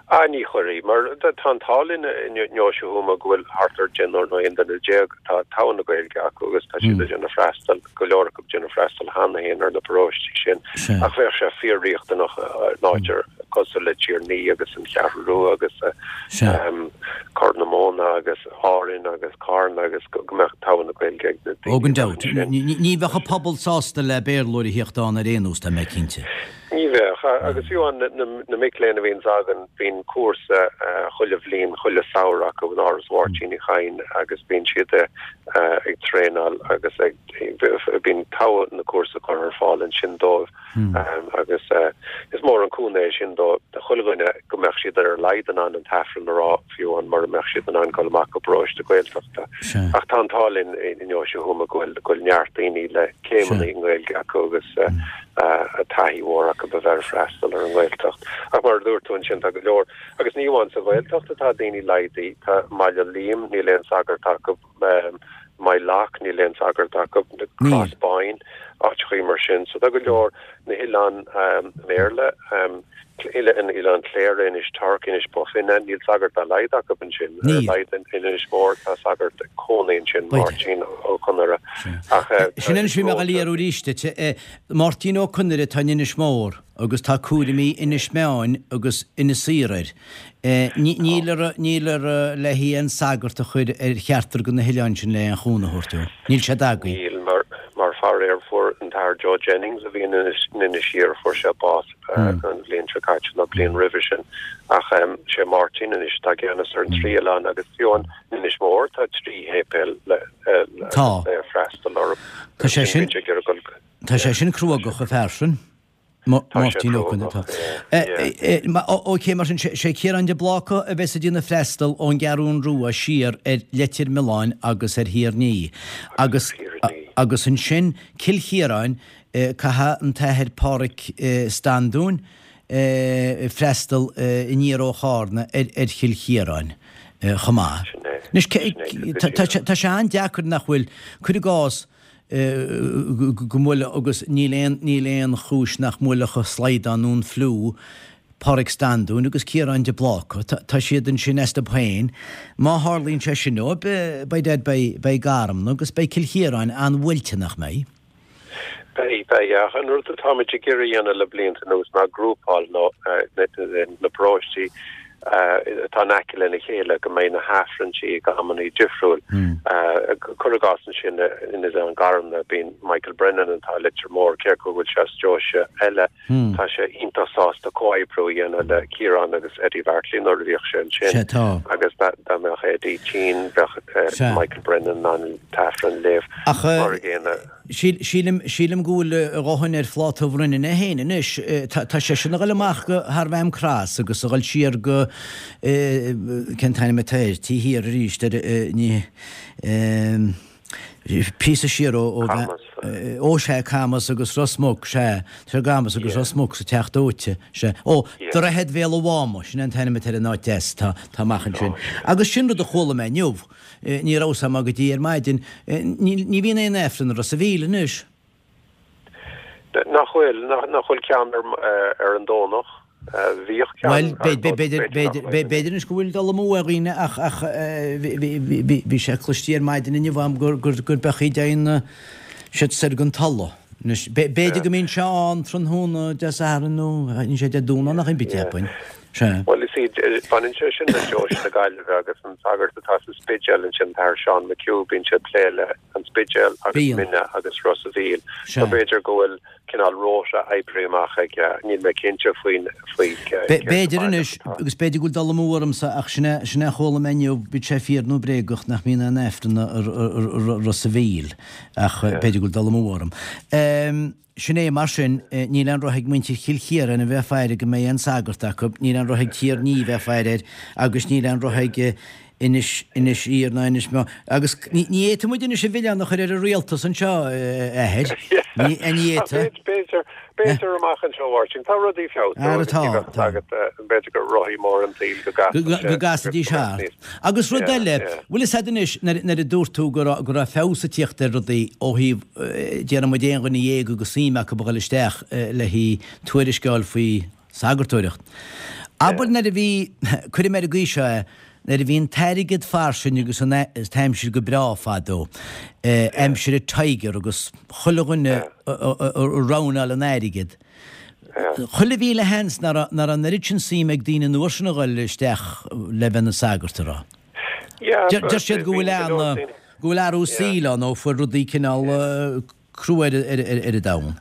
Ah, ní chuirfí, mar tá an t-ádh linn i nDeoise Thuama go bhfuil thart ar deichniúr nó 11 duine atá togha na Gaeilge acu agus tá siad ag déanamh freastal. go leor acu ag déanamh freastal cheana féin ar na paróistí sin, ach bheadh sé fíor-riachtanach in áit ar cosúil le Tír an Fhia agus an Cheathrú Rua agus Corr na Móna agus Árainn agus Carna agus go mbeadh togha na Gaeilge ag na daoine. Oh, gan dabht. Ní bheadh an pobal sásta le Béarlóir a thíocht ann ar aon nós, tá mé cinnte. Ní. Ní bheadh. Agus fiú amháin na mic léinn a bhíonns againn, bíonn cúrsa chuile bhliain, chuile samhradh acu in Áras Mháirtín Uí Chadhain agus bíonn siad ag traenáil agus ag, bíonn togha na cúrsa curtha ar fáil ansin dóibh. Agus is mór an cúnamh é sin do chuile dhuine go mbeadh siad ar a laghad in ann an tAifreann a rá, fiú amháin mura mbeadh siad in ann dul amach go paróiste Gaeltachta. Ach tá an t-ádh linn i nDeoise Thuama go bhfuil go bhfuil neart daoine le céimeanna i nGaeilge acu agus taithí mhór acu a bheith ag freastal ar an nGaeltacht. Ach mar a dúirt tú ansin, tá go leor, agus ní amháin sa Ghaeltacht atá daoine laghdaithe, tá i mBaile Liam, níl aon sagart acu, Maigh Loch, níl aon sagart acu, Crossboyne, áiteachaí mar sin. So tá go leor, na hoileáin mBéarla, Oileán Chléire, Inis Toirc, Inis Bó Finne, níl sagart dá laghad acu ansin. Ar a laghad in Inis Mór tá sagart ag cónaí ansin, Máirtín Ó Conaire. Ach Sin anois bhí mé ag dul a iarraidh arís duit. Máirtín Ó Conaire atá in Inis Mór agus tá cúraimí Inis Meáin agus Inis Oírr air. Níl ar níl ar le haon sagart a chur ar cheachtar de na hoileáin sin le aon chúnamh a thabhairt dó. Níl sé tagtha. Níl, mar mar faraor fuair an tAthair Joe Jennings a bhí in Inis Oírr fuair sé bás an bhliain seo caite nó bliain roimhe sin. Ach sé Máirtín anois atá i gceannas ar an trí oileán agus fiú in Inis Mór tá 3 shéipéal le le freastal orthu. Tá sé sin Tá sé sin cruógach an fear sin. Máirtín Ó Conaire. Tá. Ok, mar sin, sé Ciarán de Bláca a bheas ag déanamh freastal ón gCeathrún Rua siar ar Leitir Mealláin agus ar Thír an Fhia. Agus agus ansin Cill Chiaráin, caithfidh an tAthair Páraic Standún freastal aniar ó Chárna ar Chill Chiaráin chomh maith. Anois, tá sé an-deacair nach bhfuil, cuir i gcás, go mbuailfeadh agus níl aon, níl aon chúis nach mbuailfeadh an slaghdán nó an fliú Páraic Standún agus Ciarán de Bláca. Tá siad ansin astu féin. Má tharlaíonn sé sin dóibh, by dad beidh, beidh Garmna agus beidh Cill Chiaráin an-bhuailte, nach mbeidh? Beidh, beidh. Ach an rud atáimid ag iarraidh a dhéanamh le blianta anuas ná grúpáil nó na paróistí atá in aice lena chéile, go mbeidh na hAifrinntí ag amannaí difriúil. Cuir i gcás ansin in Oileán Garmna, bíonn Michael Brennan atá i Leitir Móir, cé go bhfuil sé as deoise eile, tá sé iontach sásta comhoibriú a dhéanamh le Ciarán agus Eddie Bheairtlí nuair a bhíodh sé ansin. Agus dá mbeadh Eddie tinn, bheadh Michael Brennan in ann an tAifreann a léamh. Mar a gcéanna. Sílim, sílim go bhfuil a dhóthain ar phláta Bhrennan é féin anois. Tá seisean a dhul amach go thar Mhaam Cross agus a dhul siar go, cén t-ainm atá air, taobh thiar arís ar, ní, píosa siar ó, ó, ó sea, Camas agus Ros Muc, sea, tá Camas agus Ros Muc sa Teach Dóite, sea. Ó, Droichead Bhéal an Mháma, sin é an t-ainm atá ar an áit deas atá, atá amach ansin. Agus sin rud a chuala mé inniu. Ní raibh 'fhios a'm go dtí ar maidin. Ní bhíonn aon Aifreann i Ros a' Mhíl anois. Nach bhfuil? Nach bhfuil ceann ar an Domhnach? Bhíodh ceann Bhuel, b'fhéidir anois go bhfuil dul amú ar dhaoine ach ach bhí sé cloistí ar maidin inniu a'm gur gur beachaí deimhin siad soir gon Tulla. Anois, b'fhéidir go mbíonn sé ann tráthnóna Dé Sathairn nó níl sé Dé Domhnaigh nach bith cheapfainn. Sea. Bhuel, you see, baineann sé sin le Deoise na Gaillimhe agus an sagart atá sa Spidéal ansin, an tAthair Seán McHugh, bíonn sé ag plé le an Spidéal agus Mine agus Ros a' Mhíl. So b'fhéidir go bhfuil cineál rota oibrithe amach aige, níl mé cinnte faoin, faoi cé B'fhéidir anois, agus b'fhéidir go bhfuil dul amú ormsa, ach sin é, sin é a chuala mé inniu, bíodh sé fíor nó bréagach, nach mbíonn aon Aifreann i Ros a' Mhíl, ach b'fhéidir go bhfuil dul amú orm. Sin é mar sin, níl aon roth ag muintir Chill Chiaráin a bheith ag faire go mbeidh aon sagart acu, níl aon roth ag Tír an Fhia bheith ag faire air, agus níl aon roth ag Inis, Inis Oírr ná Inis Meáin. Agus ní fhéadfaidh muid anois an milleán a chur ar an rialtas anseo, a Athair. Ní fhéadfaidh. B'fhéidir, b'fhéidir amach anseo, a Mháirtín. Tá rudaí ag feabhsú agus ní bheadh fhios agat, b'fhéidir gur rothaí mór an tsaoil go gcasfaidh sé. Go gcasfaidís thart. Agus rud eile, bhfuil fhios a'd anois, nuair a dúirt tú go raibh, go raibh feabhas ag tíocht ar rudaí ó thaobh, déarfaidh muid aon dhuine dhéag agus suim acu a dhul isteach le haghaidh tuairisceáil faoi sagartóireacht. Abair nuair a bhí, cuirfidh mé ar an gcaoi seo é, nuair a bhí an t-airgead fairsing agus an t-aimsir go breá fadó, aimsir an Tiger agus chuile dhuine ag roghnáil an airgid, Chuile mhíle sheans nach raibh an oiread sin suim ag daoine an uair sin a dhul isteach le bheith ina sagart, an raibh? Deir siad go bhfuil ana, go bhfuil athrú saoil ann ó fuair rudaí cineál crua ar an domhan.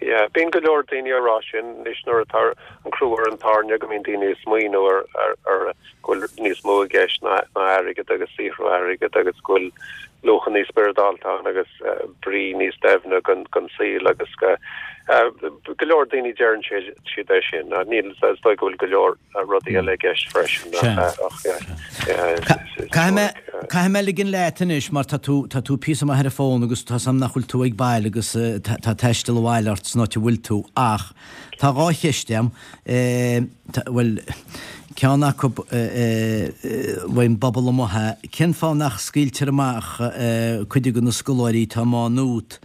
Yeah, bíonn go leor daoine ag rá sin anois nuair atá an crú ar an tairne go mbíonn daoine ag smaoineamh ar ar ar go bhfuil níos mó i gceist ná ná airgead agus saothrú airgid agus go bhfuil luachanna spioradálta ann agus brí níos doimhne don don saol agus go go leor daoine deireann siad siad é sin. Níl is dóigh go bhfuil go leor rudaí eile i gceist freisin ach Caithfidh mé ligean leat anois mar tá tú, tá tú píosa maith ar an bhfón agus tá 's a'm nach bhfuil tú ag baile agus tá taisteal abhaile ort san áit a bhfuil tú ach tá dhá cheist a'm, bhuel, ceann acu ón bpobal amuigh é, cén fáth nach scaoiltear amach cuid de na scoláirí atá i Má Nuat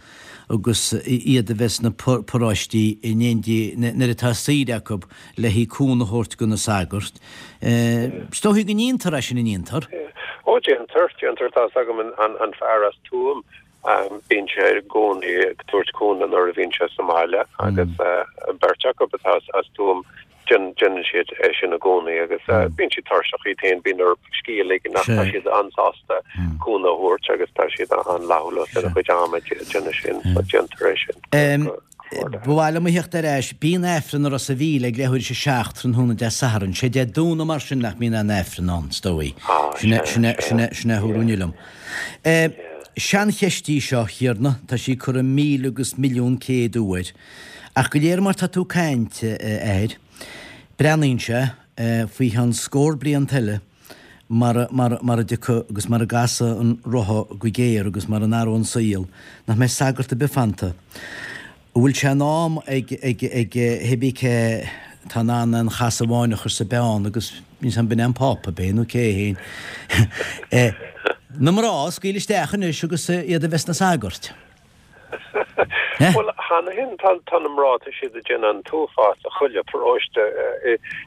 agus iad a bheith sna paróistí in éindí nuair atá saoire acu le haghaidh cúnamh a thabhairt do na sagairt. Is dóichí go ndéantar é sin, an ndéantar? Ó déantar, déantar. Tá's agam an fear as Tuaim, bíonn sé i gcónaí ag tabhairt cúnamh nuair a bhíonn sé sa mbaile agus beirt acu atá as Tuaim, déanann siad é sin i gcónaí agus bíonn siad tuirseach iad féin, bíonn orthu scíth a ligean ach tá siad an-sásta cúnamh a thabhairt agus tá siad an-fhlaithiúil lena gcuid ama ag déanamh sin, so déantar é sin. Ba mhaith liom a theacht ar ais. Bíonn Aifreann i Ros a' Mhíl ag leathuair théis a 7 tráthnóna Dé Sathairn. Sé Dé Domhnaigh mar sin nach mbíonn aon Aifreann ann, is dóigh. Sin é, sin é, sin é, sin é a dúradh inniu liom. Seancheist í seo, a Thiarna, tá sí curtha míle agus milliún céad uair. Ach go léir mar tá tú ag caint, a Athair, breathnaíonn sé, faoi cheann scór blianta eile, mar, mar, mar a dtiocfaidh agus mar a gcasfaidh an rotha go géar agus mar a n-athróidh an saol, nach mbeidh sagart ar bith fanta. An bhfuil sé in am ag, ag, ag cibé cé atá in ann aon chasadh amháin a chur sa bpeann agus níl 's a'm b'in é an Pápa, ab é nó cé é féin, na mná a scaoileadh isteach anois agus iad a bheith sna sagairt? Bhuel, cheana féin tá tá na mná, tá siad ag déanamh an t-uafás i chuile pharóiste.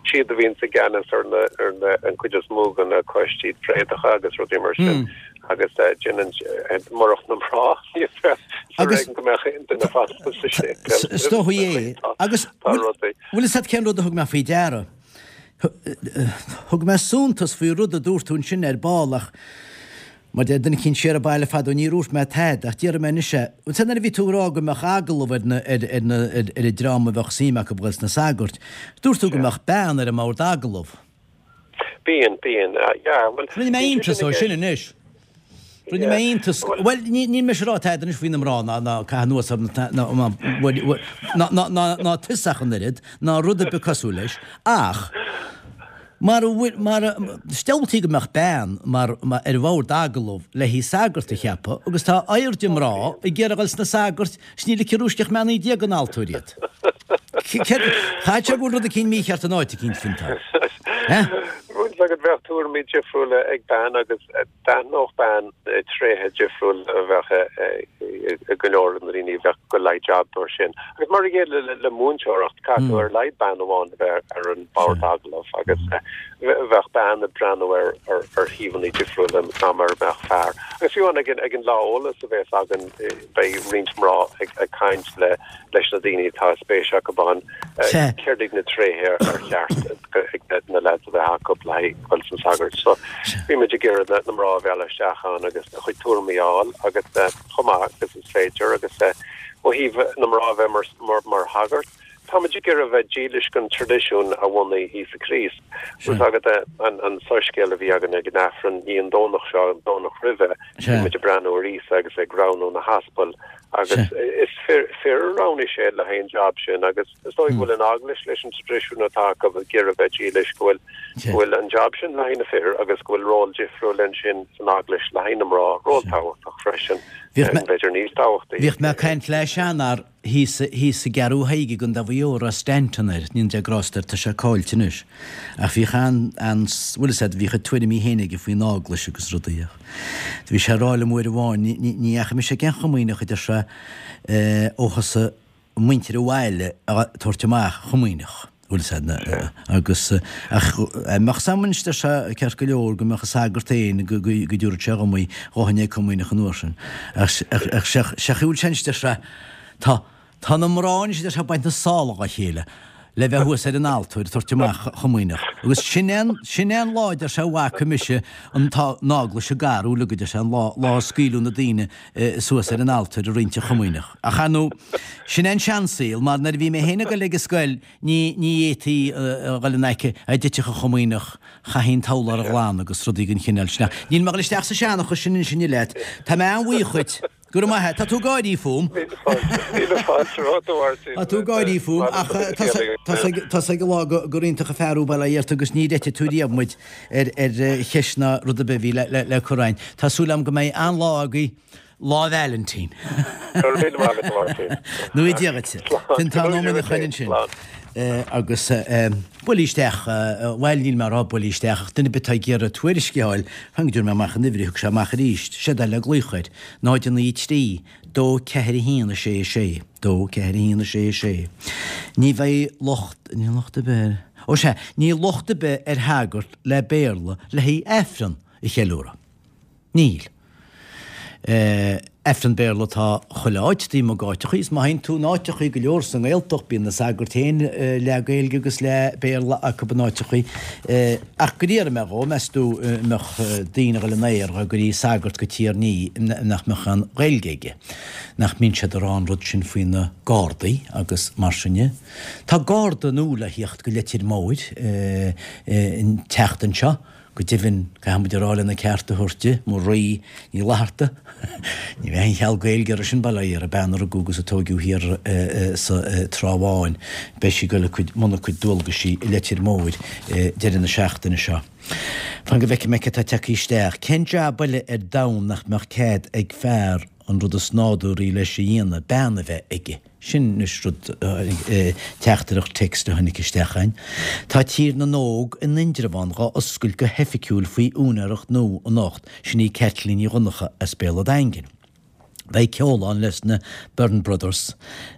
Siad a bhíonns i gceannas ar na ar na an cuid is mó de na coistí tréadacha agus rudaí mar sin agus déanann murach na mná ní bheadh ar éigean go mbeadh aon duine fanta sa séipéal. Is dóigh é. Agus Tá rudaí. bhfuil fhios a't cén rud a thug mé faoi deara? Thug mé suntas faoi rud a dúirt tú ansin ar ball ach Mar deir duine eicínt siar an baile fadó níor dhúirt mé tada ach déarfaidh mé anois é. Bhuel nuair a bhí tú ag rá go mbeadh agallamh ar na, ar, ar na, ar, ar an dream a bheadh suim acu dhul sna sagairt, dúirt tú go mbeadh bean ar an mbord agallaimh. Bíonn, bíonn, yeah, bhuel, Rinne mé bíonn sé iontas sin ó i sin gceist. anois. Rinne mé iontas, bhuel, ní, níl mise ag rá tada anois faoi na mná ná, ná caitheamh anuas orthu ná, ná, ná, bhuel, bhuel, ná, ná, ná, ná tusa ach an oiread, ná rud ar bith cosúil leis, ach, Mar a bhfuil, mar a, is diabhaltaí go mbeadh bean mar, mar, ar bhord agallaimh le haghaidh sagart a cheapadh agus tá airde mná ag iarraidh a dhul sna sagairt is níl aici rúisc ach meannaí Dé den altóir iad. Céard, chaithfeadh sé go bhfuil rud eicínt mícheart in áit eicínt faoin tá. Eh? Bhfuil fhios agat bheadh tuairimí difriúla ag bean agus D'aithneodh bean tréithe difriúla a bheadh ag go leor de na daoine a bheadh ag goil le haghaidh jab mar sin. Agus mar a chéile le múinteoireacht, caithfidh tú ar a laghad bean amháin a bheith ar an bhord agallaimh agus bheadh bean ag breathnú ar thaobhanna difriúla ná mar a bheadh fear. Agus fiú amháin ag an lá eolais a bheas againn beidh roinnt mná ag caint le leis na daoine atá spéis acu ann, céard iad na tréithe ar cheart na leaids a bheith acu le haghaidh dul sna sagairt. So bímid ag iarraidh na mná a mhealladh isteach ann agus a chuid tuairimí a fháil agus chomh maith agus is féidir agus ó thaobh na mná a bheith mar mar shagart, táimid ag iarraidh a bheith dílis don traidisiún a bhunaigh Íosa Críost. Bhfuil fhios agat an soiscéal a bhí againn ag an Aifreann, ní an Domhnach seo, an Domhnach roimhe, bhí muid ag breathnú ar Íosa agus ag roghnú na haspail Agus is fir a roghnaigh sé le haghaidh an jab sin agus is dóigh go bhfuil an Eaglais leis an traidisiún atá acu ag iarraidh bheith dílis go bhfuil go bhfuil an jab sin le haghaidh na fir agus go bhfuil ról difriúil ansin san Eaglais le haghaidh na mná, ról tábhachtach freisin, b'fhéidir níos tábhachtaí. Bhíodh mé ag caint le seanfhear thíos thíos i gCeathrú Thaidhg i gContae Mhaigh Eo a raibh Stanton air, ní Dia grásta air tá sé caillte anois, ach bhíodh an, an, bhfuil fhios a'd, bhíodh a tuairimí féin aige faoin Eaglais agus rudaí ach. Bhí sé ag rá liom uair amháin, ní dheachaigh mise ag aon chomaoineach, a deir sé, ó thosaigh muintir an bhaile a tabhairt amach chomaoineach, bhfuil fhios a'd, agus ach mbeadh fhios a'm anois, deir sé, ceart go leor, go mbeadh an sagart féin, go dtabharfadh sé dhom í, ghabhfainn ag comaoineach an uair sin. Ach sé chaoi a bhfuil sé anois, deir sé, tá, tá na mná anois, a deir sé, ag baint na sála dhá chéile. le bheith thuas ar an altóir ag tabhairt amach chomaoineach. Agus sin é an, sin é an lá, deir sé, a bhfaca mise an t-, an eaglais ag athrú uilig, a deir sé, an lá, lá a scaoileadh na daoine suas ar an altóir ag roinnt an chomaoineach. Ach ar ndóigh, sin é an seansaol, mar nuair a bhí mé féin ag dul ag an scoil, ní, ní fhéadfaí a dhul in aice, a dtitfeadh an chomaoineach, chaithfí an t-urlár a ghlanadh agus rudaí den chineál sin. Ach níl mé ag dul isteach sa seanchas sin anois inniu leat. Tá mé an-bhuíoch dhuit. Go raibh maith a't. Tá tú ag gáirí fúm. Míle fáilte, míle fáilte romhat a Mháirtín. Tá tú ag gáirí fúm ach tá's ag an lá gur iontach an fear thú bail ó Dhia ort agus níor eitigh tú riamh muid ar cheist ná rud ar bith a bhí le cur againn. Tá súil agam go mbeidh an-lá agaibh Lá Vailintín. Go raibh míle maith agat a Mháirtín. Nó Dia dhuit. Fionntán Ó Muineacháin ansin. Agus buail isteach, bhuel níl mé ag rá buail isteach ach duine ar bith atá ag iarraidh tuairisc a fháil, fan go dtabharfaidh mé amach an uimhir, thug sé amach arís, séard é le glaoch air, 0 9 3 2 4 1 6 6 2 4 1 6 6. Ní bheidh locht, níl locht ar bith ar, ó sea, níl locht ar bith ar shagart le Béarla le haghaidh Aifreann a cheiliúradh. Níl. Aifreann Béarla atá chuile áit, taobh amuigh d'áiteachaí, is má théann tú in áiteachaí go leor sa nGaeltacht, bíonn na sagairt féin leath Gaeilge agus leath Béarla acu in áiteachaí. Ach go iarrfaidh mé dhó, meas tú an mbeadh daoine a dhul in aer dá gcuirí sagart go Tír an Fhia nach mbeadh aon Ghaeilge aige? Nach mbíonn siad ag rá an rud sin faoi na Gardaí agus mar sin de? Tá Garda nua le theacht go Leitir Móir an tseachtain seo. Go deimhin, caithfidh muid a rá lena ceart a thabhairt di, Marie Ní Fhlatharta, ní bheidh aon cheal Gaeilge uirthi sin, bail ó Dhia uirthi, bean a rugadh agus a tóigeadh thiar sa Trá Bháin. Beidh sí ag dul i mbun a cuid dualgaisí i Leitir Móir deireadh na seachtaine seo. Fan go bhfeicfidh mé cé atá tagtha isteach. Cén jab eile ar domhan nach mbeadh cead ag fear an rud is nádúraí leis a dhéanamh, bean a bheith aige? Sin anois rud, teachtaireacht text a tháinig isteach againn. Tá Tír na nÓg in Indreabhán dhá oscailt go hoifigiúil faoi úinéireacht nua anocht, sin í Caitlín Ní Dhonncha as Béal a' Daingin. Beidh ceol ann leis na Byrne Brothers,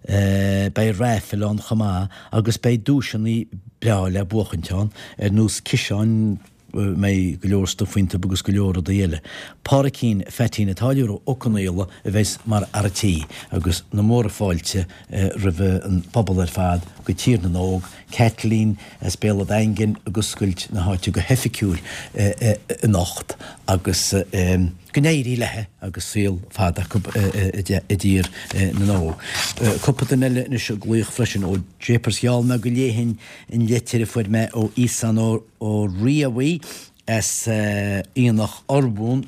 beidh raifil ann chomh maith agus beidh duaiseanna breá le buachaint ann, ar nós ciseáin, mbeidh go leor stuif iontu agus go leor rudaí eile. Pádraicín Pheaitín an Táilliúra Ó Conaola a bheas mar fhear an tí agus na móra fáilte roimh an bpobal ar fad go Tír na nÓg, Caitlín as Béal a' Daingin ag oscailt na háite go hoifigiúil anocht agus go n-éirí léi agus saol fada acu i dTír na nÓg. Cúpla duine eile anois ag glaoch freisin ó Japers gheall mé go léifinn an litir a fuair mé ó Íosán Ó Ó Riabhaigh as Aonach Urmhumhan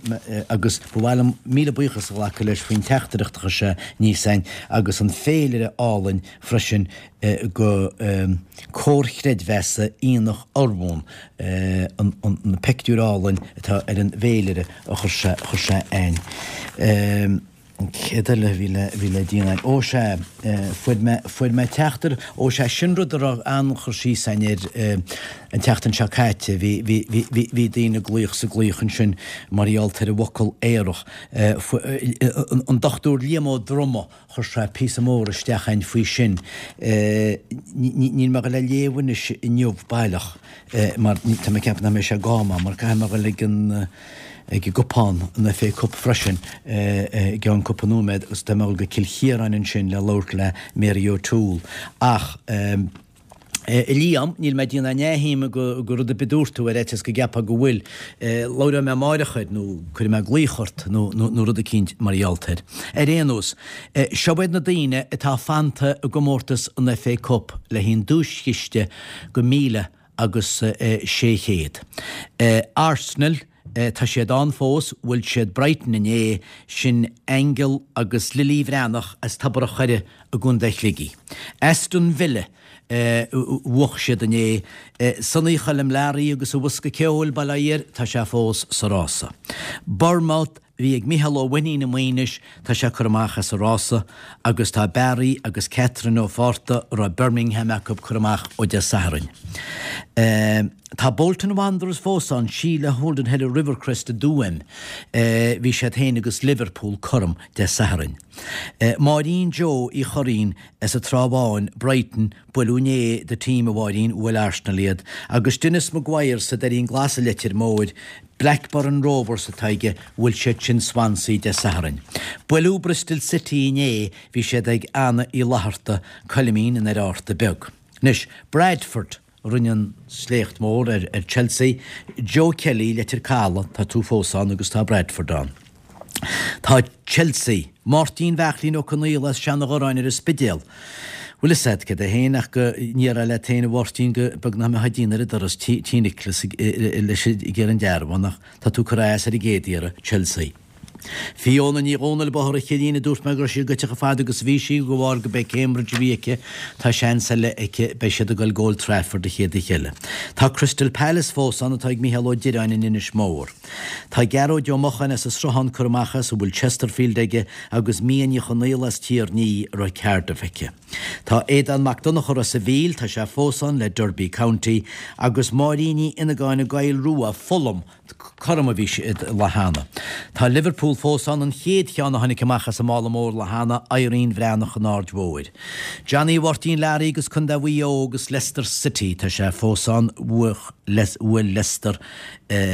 agus ba mhaith liom míle buíochas a ghlacadh leis faoin teachtaireacht a chuir sé aníos a'inn agus an féilire álainn freisin go Comhar Chreidmheasa Aonach Urmhumhan, an peictiúr álainn atá ar an bhféilire a chuir sé chuir sé a'inn. Céard eile a bhí le, bhí le déanamh? Ó sea, fuair mé, fuair mé teachtair, ó sea, sin rud a raibh an-chur síos againn air an tseachtain seo caite, bhí, bhí, bhí, bhí, bhí daoine ag glaoch 's ag glaoch ansin mar gheall ar an bhfocal aerach. An Dochtúir Liam Ó Droma, chuir sé píosa mór isteach a'inn faoi sin. Níl mé ag dul a léamh anois inniu baileach mar tá mé ag ceapadh nach mbeidh sé ag am mar caithfidh mé a dhul ag an, ag an gcupán, an FA Cup freisin i gceann cúpla nóiméad agus tá mé ag dul go Cill Chiaráin ansin le labhairt le Mary O'Toole. Ach a Liam, níl mé ag déanamh neamhshuime de rud ar bith a dúirt tú ar fhaitíos go gceapfá go bhfuil. Labhróidh mé amáireach air nó cuirfidh mé glaoch ort nó nó rud eicínt mar gheall air. Ar aon nós, seo iad na daoine atá fanta i gcomórtas an FA Cup le haghaidh an duaischiste go 1,000 agus 600. Arsenal, tá siad ann fós, bhuail siad Brighton inné, sin Aingeal agus Lily Bhreathnach as Tobar a' Choire i gContae Shligigh. Aston Villa, bhuaigh siad inné. Sonny Choilm Learaí agus a bhosca ceoil, bail ó Dhia air, tá sé fós sa rása. Bournemouth, bhí ag Micheál Ó Mainnín i Maínis, tá sé curtha amach as an rása agus tá Barry agus Catherine Ó Fátharta, a raibh Birmingham acu, curtha amach ó Dé Sathairn. Tá Bolton Wanderers fós ann, Sheila Holden Heller Rivercrest i dTuaim, bhí siad féin agus Liverpool cothrom Dé Sathairn. Máirín Joe Uí Churraoin as an Trá Bháin, Brighton, Buaileadh inné do team a Mháirín, bhuail Arsenal iad, agus Denis Maguire sa Doirín Glas i Leitir Móir, Blackburn Rovers atá aige, bhuail siad sin Swansea Dé Sathairn. Buaileadh Bristol City inné, bhí siad ag Anna Uí Fhlatharta, Coilimín i nDoire Fhatharta Beag. Anois, Bradford a rinne an sléacht mór ar Chelsea. Joe Kelly, Leitir Caladh, tá tú fós ann agus tá Bradford ann. Tá Chelsea, Máirtín Bheachlín Ó Conaola as Seanadh Ghoráin ar an Spidéal. Bhfuil fhios a'd céard é féin ach go ndéarfá leat féin a Mháirtín go beag nach mbeifeá ag déanamh ar an doras tí Nicholas leis ag iarraidh an dearbhán ach tá tú curtha as ar an gcéad iarraidh, Chelsea. Fiona Ní Dhomhnaill, Bóthar an Chillín, a dúirt mé go raibh sí goite chomh fada agus a bhí sí, de bharr go b'é Cambridge a bhí aici, tá seans eile aici, beidh siad ag dul go Old Trafford an chéad oíche eile. Tá Crystal Palace fós ann atá ag Mícheál Ó Direáin in Inis Mór. Tá Gearóid Ó Mocháin as an Sruthán curtha amach as, a bhfuil Chesterfield aige, agus Mia Ní Chonaola as Tír an Fhia a raibh Cardiff aici. Tá Aodán Mac Donncha Ros a' Mhíl, tá sé fós ann le Derby County, agus Máirín Ní Fhionnagáin i gCoill Rua, Fulham, Cothrom a bhí siad an lá cheana. Tá Liverpool fós ann, an chéad cheann a tháinig amach as an mála mór lá cheana, Irene Bhreathnach an Aird Mhóir. Johnny Mháirtín Learaí agus Contae Mhaigh Eo agus Leicester City, tá sé fós ann, bhuail Leicester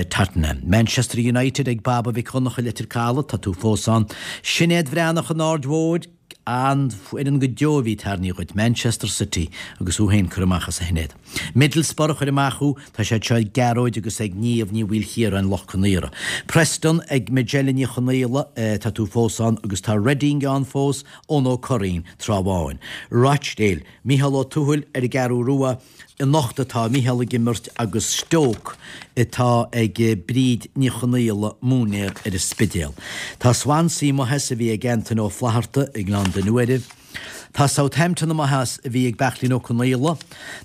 Tottenham. Manchester United ag Baba Mhic Dhonncha Leitir Caladh, tá tú fós ann. Sinéad Bhreathnach an Aird Mhóir, An-fhoireann go deo a bhí tarraingthe dhuit, Manchester City, agus thú féin curtha amach as a Shinéad. Middlesbrough a chuir amach thú, tá siad seo ag Gearóid agus ag Niamh Ní Mhaoilchiaráin, Loch Con Aortha. Preston ag Majella Ní Chonaola, tá tú fós ann, agus tá Reading ann fós, Eoin Ó Curraoin, Trá Bháin. Rochdale, Mícheál Ó Tuathail ar an gCeathrú Rua, Anocht atá Mícheál ag imirt agus Stoke atá ag Bríd Ní Chonaola, múinéar ar an Spidéal. Tá Swansea amuigh as a bhí ag Antaine Ó Flatharta i nGleann Donncha Mhuire. Tá Southampton amuigh as a bhí ag Beachlín Ó Conaola.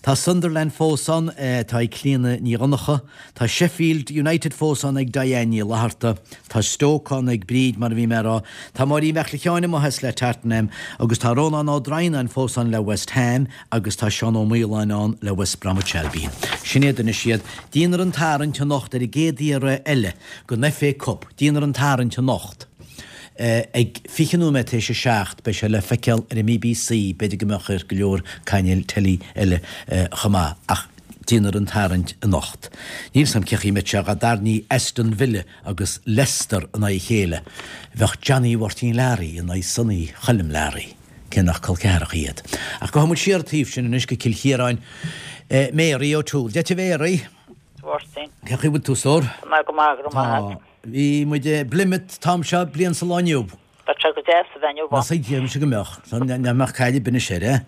Tá Sunderland fós ann atá ag Clíona Ní Dhonncha. Tá Sheffield United fós ann ag Diane Ní Fhlatharta. Tá Stoke ann ag Bríd, mar a bhí mé a rá. Tá Máirín Bheachle Sheáin amuigh as le Tottenham agus tá Rónán Ó Droighneáin fós ann le West Ham agus tá Seán Ó Maoláin ann le West Bromwich Albion. Sin iad anois iad. Déanfar an tarraingt anocht ar an gcéad iarraidh eile den FA Cup. Déanfar an tarraingt anocht ag 20 nóiméad tar éis a 7. Beidh sé le feiceáil ar an mBBC, b'fhéidir go mbeadh ar go leor cainéil teilí eile chomh maith, ach déanfar an tarraingt anocht. Níl 's a'm cé chaoi a mbeidh sé dá dtarraingeofaí Aston Villa agus Leicester in aghaidh a chéile. Bheadh Johnny Mháirtín Learaí in aghaidh Sonny Choilm Learaí. cé nach col ceathracha iad. Ach gabhfaidh muid siar an taobh sin anois go Cill Chiaráin. Mary O'Toole. Dia duit a Mhary. A Mháirtín. Cén chaoi a bhfuil tú, a stór? Tá mé go maith, go raibh maith agat. Tá. Bhí muid i bPlymouth an t-am seo bliain sa lá inniu. Bheadh sé go deas a bheith inniu ann. Deirimse go mbeadh. Nach mbeadh caill ar bith anois air, eh?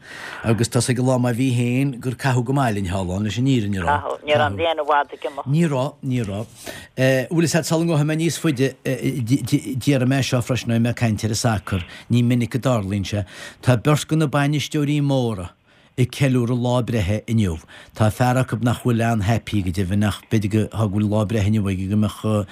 Agus tá 's ag an lá má bhí féin gur caitheadh go maith linn thall ann leis an fhírinne a rá. Caitheadh. Ní raibh an bhliain i bhfad ag imeacht. Ní raibh, ní raibh. Bhfuil fhios a't sula ngabhfaidh mé níos faide, déarfaidh mé seo freisin, beidh mé ag caint ar an sacar, ní minic a dtarlaíonn sé. Tá beirt de na bainisteoirí móra ag ceiliúradh lá breithe inniu. Tá fear acu nach bhfuil an-happy go deimhin ach b'fhéidir go go bhfuil lá breithe inniu aige go mbeadh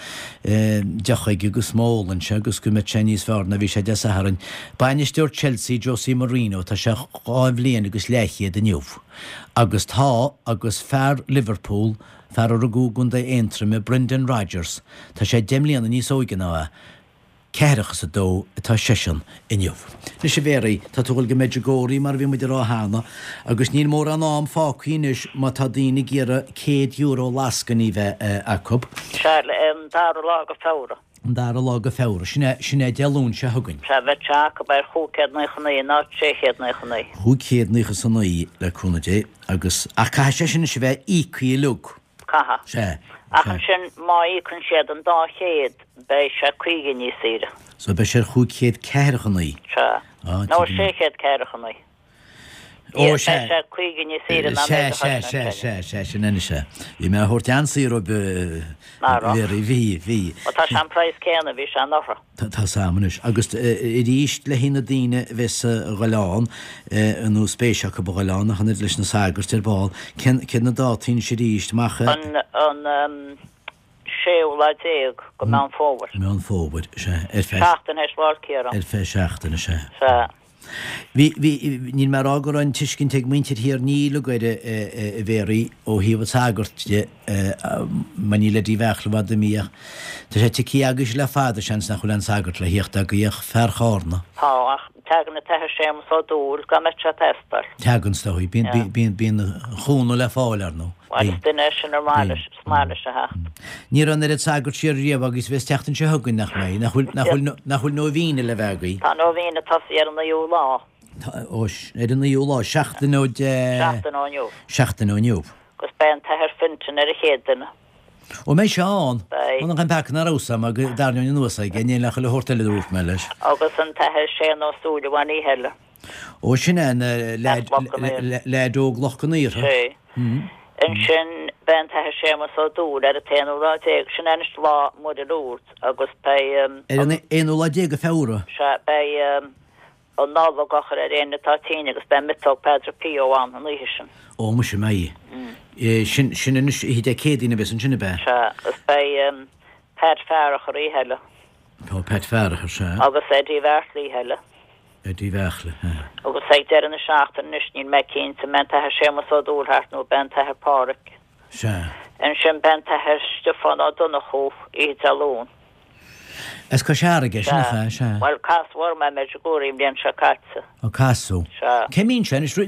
deoch aige agus má ólann sé agus go mbeadh sé níos fearr ná bhí sé Dé Sathairn. Bainisteoir Chelsea, Jose Mourinho, tá sé dhá bhliain agus leathchéad inniu. Agus tá, agus fear Liverpool, Fear a rugadh i gContae Aontroime, Brendan Rodgers, tá sé 10 mbliana níos óige ná é, ceathracha is a dó atá seisean inniu. Anois a Mhéaraí, tá tú ag dul go Medjugorje mar a bhí muid a rá cheana, agus níl mórán am fágtha anois má tá daoine ag iarraidh €100 lascainí bheith acu. Sea, an dara lá go Feabhra. An dara lá go Feabhra. Sin é, sin é Dé Luain seo chugainn. Sea, bheadh sé acu ar 599 ná 399. 599 le cúnamh Dé, agus, ach caithfidh sé sin anois a bheith íoctha uilig. Caithfidh. Sea, Ach sea. ansin, má íocann siad an dá chéad, beidh sé caoga níos saoire. So beidh sé ar 549. Sea. Ah, Nó tuigim. 649. Ó, sea. Beidh sé 50 níos saoire ná Sea, méid a sea, choisneoidh sea, sé. sea, sea, sin anois é. Bhí mé a thabhairt an-saor ó Ná raibh. Mhéaraí, bhí, bhí. Bhuel, tá sé an praghas céanna a bhí sé anuraidh. Tá, tá 's a'm anois. Agus arís le haghaidh na daoine a bheas a ghoil ann, nó spéis acu a ghoil ann, ach an oiread leis na sagairt ar ball, cén, céard na dátaí anois arís, amach i. An, an séú lá déag go Meán Fómhair. Meán Fómhair, sea. Ar feadh. Seachtain théis Lá 'le Ciaráin. Ar feadh seachtaine, sea. Sea. Bhí, bhí, níl mé a rá go raibh an tuiscint ag muintir Thír an Fhia uilig air, a Mhéaraí, ó thaobh an tsagairt de, mar níl Eddie Bheartla i bhfad imithe ach tá sé tioctha agaibhse le fada, seans nach bhfuil aon sagart le thíocht agaibh ach fear Chárna. Tá, ach teagann an tAthair Séamus Ó Dúill dá mbeadh sé ag teastáil. Teagann, is dóigh. Bíonn, bíonn, bíonn an chúnamh le fáil, ar ndóigh. Bhuel, is duine é sin ar maith leis, is maith leis a theacht. Ní raibh an oiread sagart siar riamh agaibh is a bheas an tseachtain seo chugainn, nach mbeidh? Nach bhfuil, nach bhfuil, nach bhfuil nóibhíne le bheith agaibh? Tá nóibhíne tosaithe ar an naoú lá. Ó, ar an naoú lá, seachtain ó Dé. Seachtain ó inniu. Seachtain ó inniu. Agus beidh an tAthair Fintan ar an chéad duine. Ó, mbeidh sé ann? Beidh. Bhuel, nach an peaca nach raibh 'fhios a'm, go dtarraingeoinn anuas aige, níl nach chuile shórt eile a dúirt mé leis. Agus an tAthair Séan Ó Súilleabháin oíche eile. Ó, sin é an leaid óg Loch gCon Iartha. Sé. Ansin beidh an tAthair Séamus Ó Dúill ar an t-aonú lá déag, sin é anois lá Muire Lourdes agus beidh. Ar an aonú lá déag de Feabhra. Sea, beidh an Nollaig á chur ar éinne atá tinn agus beidh miotóg Padre Pio ann an oíche sin. Ó, muise, mbeidh. Sin, sin anois oíche Dé Céadaoin a bheas ansin, ab ea? Sea, agus beidh Pat Farragher oíche eile. Tá Pat Farragher, sea. Agus Eddie Bheartla oíche eile. Eddie Bheartla, sea. Agus ag deireadh na seachtaine anois, níl mé cinnte an mbeidh an tAthair Séamus Ó Dúill thart nó beidh an tAthair Páraic. Sea. Ansin beidh an tAthair Stiofán Ó Donnchú oíche Dé Luain. As Cois Fharraige, sin nach ea? Sea. Bhuel, casadh orm é i Medjugorje an bhliain seo caite. Ó, casadh. Sea. Cé mbíonn sé anois? Á, i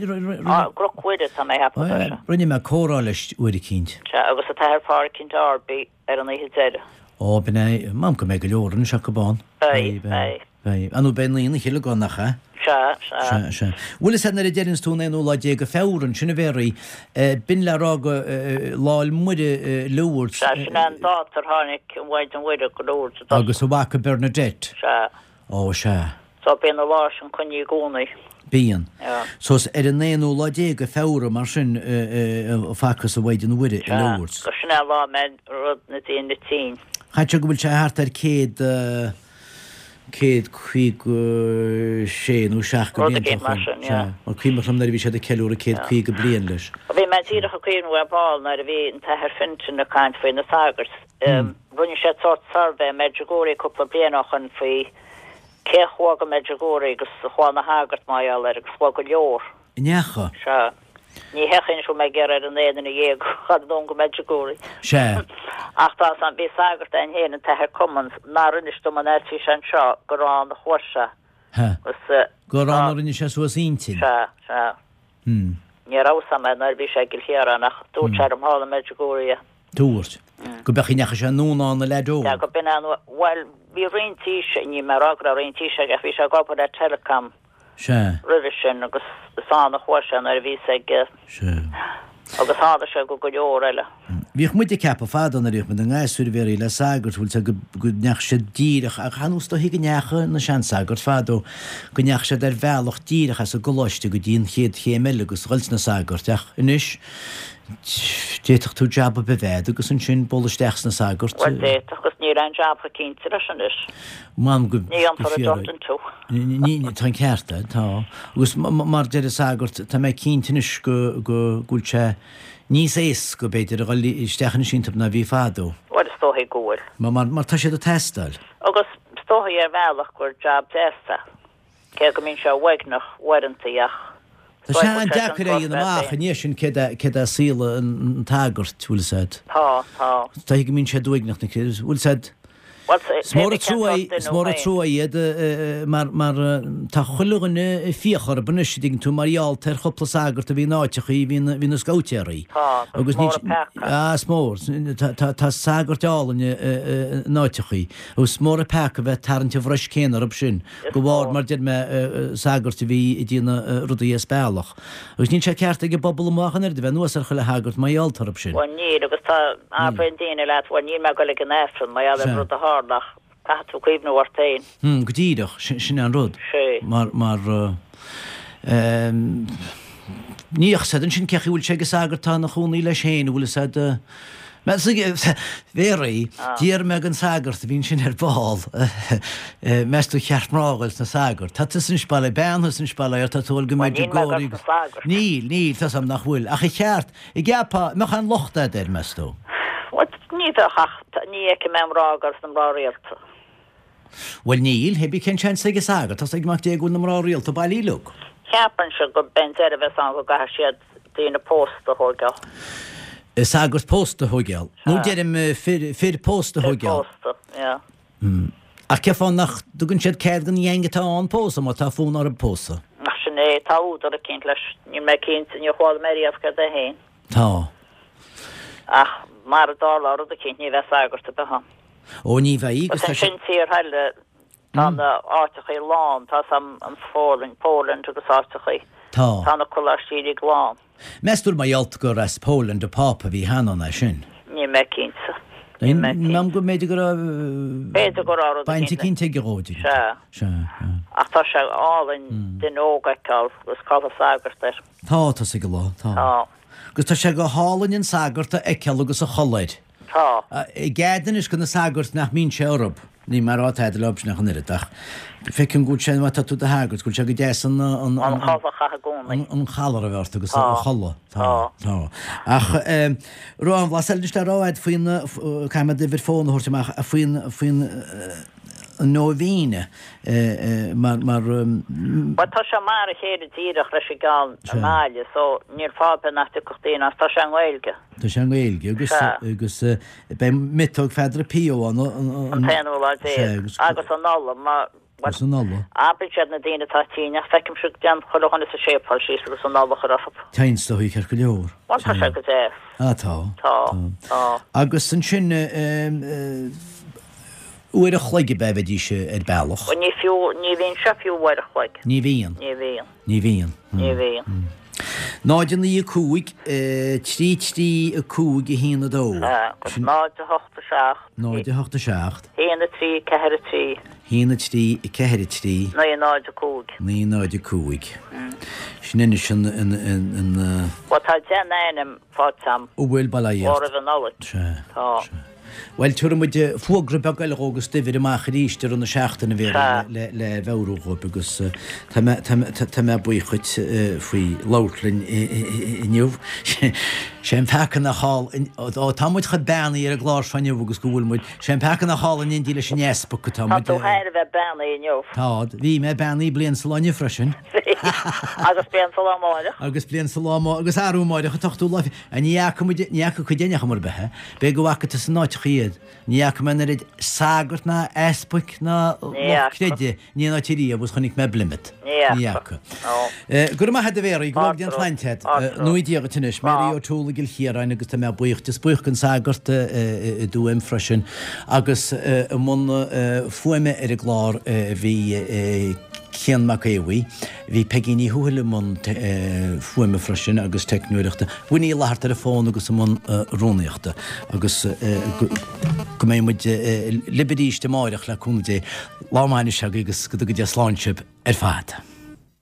gCnoc Mhuire, tá mé a cheapadh, tá sé. Rinne mé comhrá leis uair eicínt. Sea, agus an tAthair Páraic Darby ar an oíche deiridh. Ó, b'in é. M'anam go mbeidh go leor anois acu ann. Beidh, beidh. Beidh. Á, nó beidh naíon an Chill ann, nach ea? Sea, sea. Sea, sea. Bhfuil fhios a'd nuair a deireanns tú an aonú lá déag de Feabhra ansin a Mhéaraí, b'in le rá go Lá 'le Muire Lourdes. Sea, sin é an dáta ar tháinig an Mhaighdean Mhuire go Lourdes i dtosach. Agus a mhac Bernadette. Sea. Ó, sea. So bíonn an lá sin coinnithe i gcónaí. Bíonn. Yeah. So is ar an aonú lá déag de Feabhra mar sin a facthas an Mhaighdean Mhuire i Lourdes. Sea, sin é an lá a mbeidh rud na daoine tinn. Chaithfeadh sé go bhfuil sé thart ar 100, 156 nó 7 de Rud bhlianta éigin ó mar shoin. sin, Sea. yeah. Mar cuimhneach liom nuair a bhí siad ag ceiliúradh 150 bliain leis. Bhí mé díreach ag cuimhneamh ar ball nuair a bhí an tAthair Fintan ag caint faoi na sagairt. Rinne siad sórt suirbhé i Medjugorje cúpla bliain ó shoin faoi cé a chuaigh go Medjugorje agus a chuaigh na shagairt mar gheall air agus chuaigh go leor. An ndeacha? Sea. Ní hé chaoin go raibh mé ag iarraidh ar an aon duine dhéag a chur anonn go Medjugorje. Sea. Ach tá 'fhios a'm, bhí sagart ann féin, an tAthair Cummins, nár inis dom an áit bhí sé anseo gur ann a chuaigh sé. Ha. Agus Gur ann a rinne sé suas a intinn. Sea, sea. Hmm. Ní raibh 'fhios a'm é nuair a bhí sé i gCill Chiaráin ach dúirt sé liom thall i Medjugorje. Dúirt. Go b'ea an chaoi a ndeachaigh sé anonn ann a leaid óg. Sea, go b'in an, bhuel, bhí roinnt aois, níl mé ag rá go raibh roinnt aois aige ach bhí sé ag obair le Telecom Sea. roimhe sin agus is ann a chuaigh sé nuair a bhíos ag, Sea. agus tharla sé go go leor eile. Bhíodh muid ag ceapadh fadó nuair a bhíodh muid ina ngasúir a Mhéaraí le sagairt, bhfuil 's a'd, go, go ndeachaigh siad díreach, ach ar nós is dóichí go ndeachaigh na seansagairt fadó, go ndeachaigh siad ar bhealach díreach as an gcoláiste go dtí an chéad chéim eile agus dhul sna sagairt ach anois d'fhéadfadh tú jab ar bith a bheith a'd agus ansin bualadh isteach sna sagairt. Bhuel d'fhéadfadh agus níl aon jab chomh cinnte leis anois. M'anam go Ní dhéanfar redundant thú. Ní, tá an ceart a'd, tá. Agus mar deir an sagart, tá mé cinnte anois go, go, go bhfuil sé níos éasca, b'fhéidir, a dhul isteach anois iontub ná bhí fadó. Bhuel is dóichí go bhfuil. Mar, mar, mar tá siad ag teastáil. Agus is dóichí ar bhealach gur jab deas é. Cé go mbíonn sé uaigneach uaireanta ach Tá sé an-deacair a dhéanamh amach i ndiaidh sin céard é céard é saol an tsagairt, bhfuil 'fhios a'd. Tá, tá. Is dóichí go mbíonn siad uaigneach na bhfuil 'fhios a'd. Is mór an trua is mór an trua iad mar mar tá chuile dhuine ag fiach orthu anois, an dtuigeann tú, mar gheall ar chúpla sagart a bhí in áiteachaí bhí na bhí na scabhtéaraí. Tá, agus is mór an peaca. Ah, is mór. Tá tá tá sagairt álainn in áiteachaí agus is mór an peaca a bheith ag tarraingt an bhruis céanna orthu sin. De bharr, mar deir mé, sagairt a bhí ag déanamh rudaí as bealach. Agus níl sé ceart ag an bpobal amuigh ach an oiread a bheith anuas ar chuile shagart mar gheall orthu sin. Bhuel níl, agus tá, abraíonn daoine leat, bhuel níl mé ag dul ag an Aifreann mar gheall ar an rud a tharla ach caithfidh tú cuimhniú ort féin. Hm, go díreach, sin é an rud. Sea. Mar, mar, ehm, ní fhios a'd ansin cé chaoi bhfuil sé ag an sagart atá ina chónaí leis féin, an bhfuil fhios a'd, Mhéaraí, d'iarr mé den sagart a bhí ansin ar ball, meas tú ar cheart mná a dhul sna sagairt. Tá tusa anois bail bean thusa anois bail air, tá tú ag dul go Medjugorje. Níl, níl, tá's a'm nach bhfuil. Ach ar cheart, an gceapfá, an mbeadh aon locht a'd air, meas tú? Bhuel, ní bheadh ach ní fheicim aon mná ag dul sna mná rialta. Bhuel níl, hé bí cén seans ag an sagart, tá's ag Mac Dé go bhfuil na mná rialta bailí uilig. Ceapainnse go b'é an deireadh a bheas ann go gcaithfidh siad daoine pósta a thóigeáil. Sagart pósta a thóigeáil. Nó deirim fir, fir pósta a thóigeáil. Fir pósta, yeah. Ach cén fáth nach dtugann siad cead don gheaing atá ann pósadh má tá fonn orthu pósadh? Ach sin é, tá údar eicínt leis. Níl mé cinnte, níor chuala mé riamh céard é féin. Tá. Ach mara dtarlóidh rud eicínt ní bheidh sagart ar bith ann. Ó ní bheidh agus tá sé. Ansin tíortha eile. Tá na áiteachaí lán, tá sam an Pholainn, Poland agus áiteachaí. Tá. Tá na coláistí uilig lán. Meas tú mar gheall gur as Poland an Pápa a bhí cheana an é sin? Níl mé cinnte. Níl mé cinnte. Measaim go mb'fhéidir go raibh. B'fhéidir go raibh rud baint eicínt aige dhó, Sea. Sea. Sea. Ach tá sé álainn duine óg a fheiceáil agus culaith sagairt air. Tá, tá sé go lá, tá. Tá. Agus tá sé go hálainn an sagart a fheiceáil agus a chulaith air. Tá. I gcead anois go na sagairt nach mbíonn sé orthub. Níl mé ag rá tada leob sin ach an oiread, ach feicim go bhfuil sé, má tá tú i do shagart, go bhfuil sé go deas an, an, an chulaith a chaitheamh i gcónaí. An collar a bheith ort agus an chulaith. Tá. Tá. Ach raibh aon bhlas eile anois le rá agat faoin, caithfidh mé d'uimhir fóin a thabhairt amach, faoin, faoin an nóibhéine mar, mar. Bhuel tá sé mar a chéile díreach leis an gceann i nGaillimh so níl fáth ar bith nach dtiocfadh daoine as, tá sé i nGaeilge. Tá sé i nGaeilge agus agus beidh miotóg Pheadar Pio ann an t-aonú lá déag agus an Nollaig má agus an Nollaig. Abraíonn siad na daoine atá tinn ach feicimse go dtéann chuile dhuine sa séipéal síos agus an Nollaig a chur orthu. Téann is dóigh ceart go leor. Bhuel tá sé go deas. Ah tá. Tá. Tá. Agus ansin uair a chloig ab ea a bheidís ar bealach? Ní fiú, ní bhíonn sé fiú uair a chloig. Ní bhíonn. Ní bhíonn. Ní bhíonn. Ní bhíonn. 0 9 5 3 3 5 1 2. Agus 0 8 7. 0 8 7. 1 3 4 3. 1 3 4 3. 9 0 5. 9 0 5. Sin anois an. Bhuel tá deich n-ainm faighte a'm. An bhfuil bail ó Dhia ort. Ó roimh an Nollaig. Sea. Tá. Bhuel, tabharfaidh muid fógra beag eile dhó agus d'uimhir amach arís i rith na seachtaine, a Mhéaraí, le mheabhrú dhóibh agus tá mé, tá mé, tá mé buíoch dhuit faoi labhairt linn inniu. Sé an peaca nach thall, ó tá muid chomh beannaithe ar an gclár seo inniu agus go bhfuil muid, sé an peaca nach thall in éindí leis an easpag atá muid. Tá tú thar a bheith beannaithe inniu. Tá, bhí mé beannaithe bliain sa lá inniu freisin. Bhí. Agus bliain sa lá amáireach. Agus bliain sa lá amáireach, agus arú amáireach an t-ochtú lá. Ní fhaca muid, ní fhaca cuid againn chor ar bith é. B'fhéidir go bhfaca tusa in áiteacha iad. Ní fhaca mé an oiread sagart ná easpaig ná lucht creidimh in aon áit ariamh agus chonaic mé i bPlymouth. Ní fhaca. Go raibh maith agat a Mhéaraí, go bhfága Dia an tsláinte agat. Nui Dia dhuit anois. Mary O'Toole i gCill Chiaráin agus tá mé buíoch di. Is buíoch den sagart i dTuaim freisin agus i mbun fuaime ar an gclár bhí Cian Mac Aodha. Bhí Peigí Ní Thuathail i mbun fuaime freisin agus teicneoireachta. Winnie Uí Fhlatharta ar an bhfón agus i mbun rúnaíochta. Agus go mbeidh muid libh arís amáireach le cúnamh Dé. Lá maith anois agaibh agus go dtuga Dia slán sibh ar fad.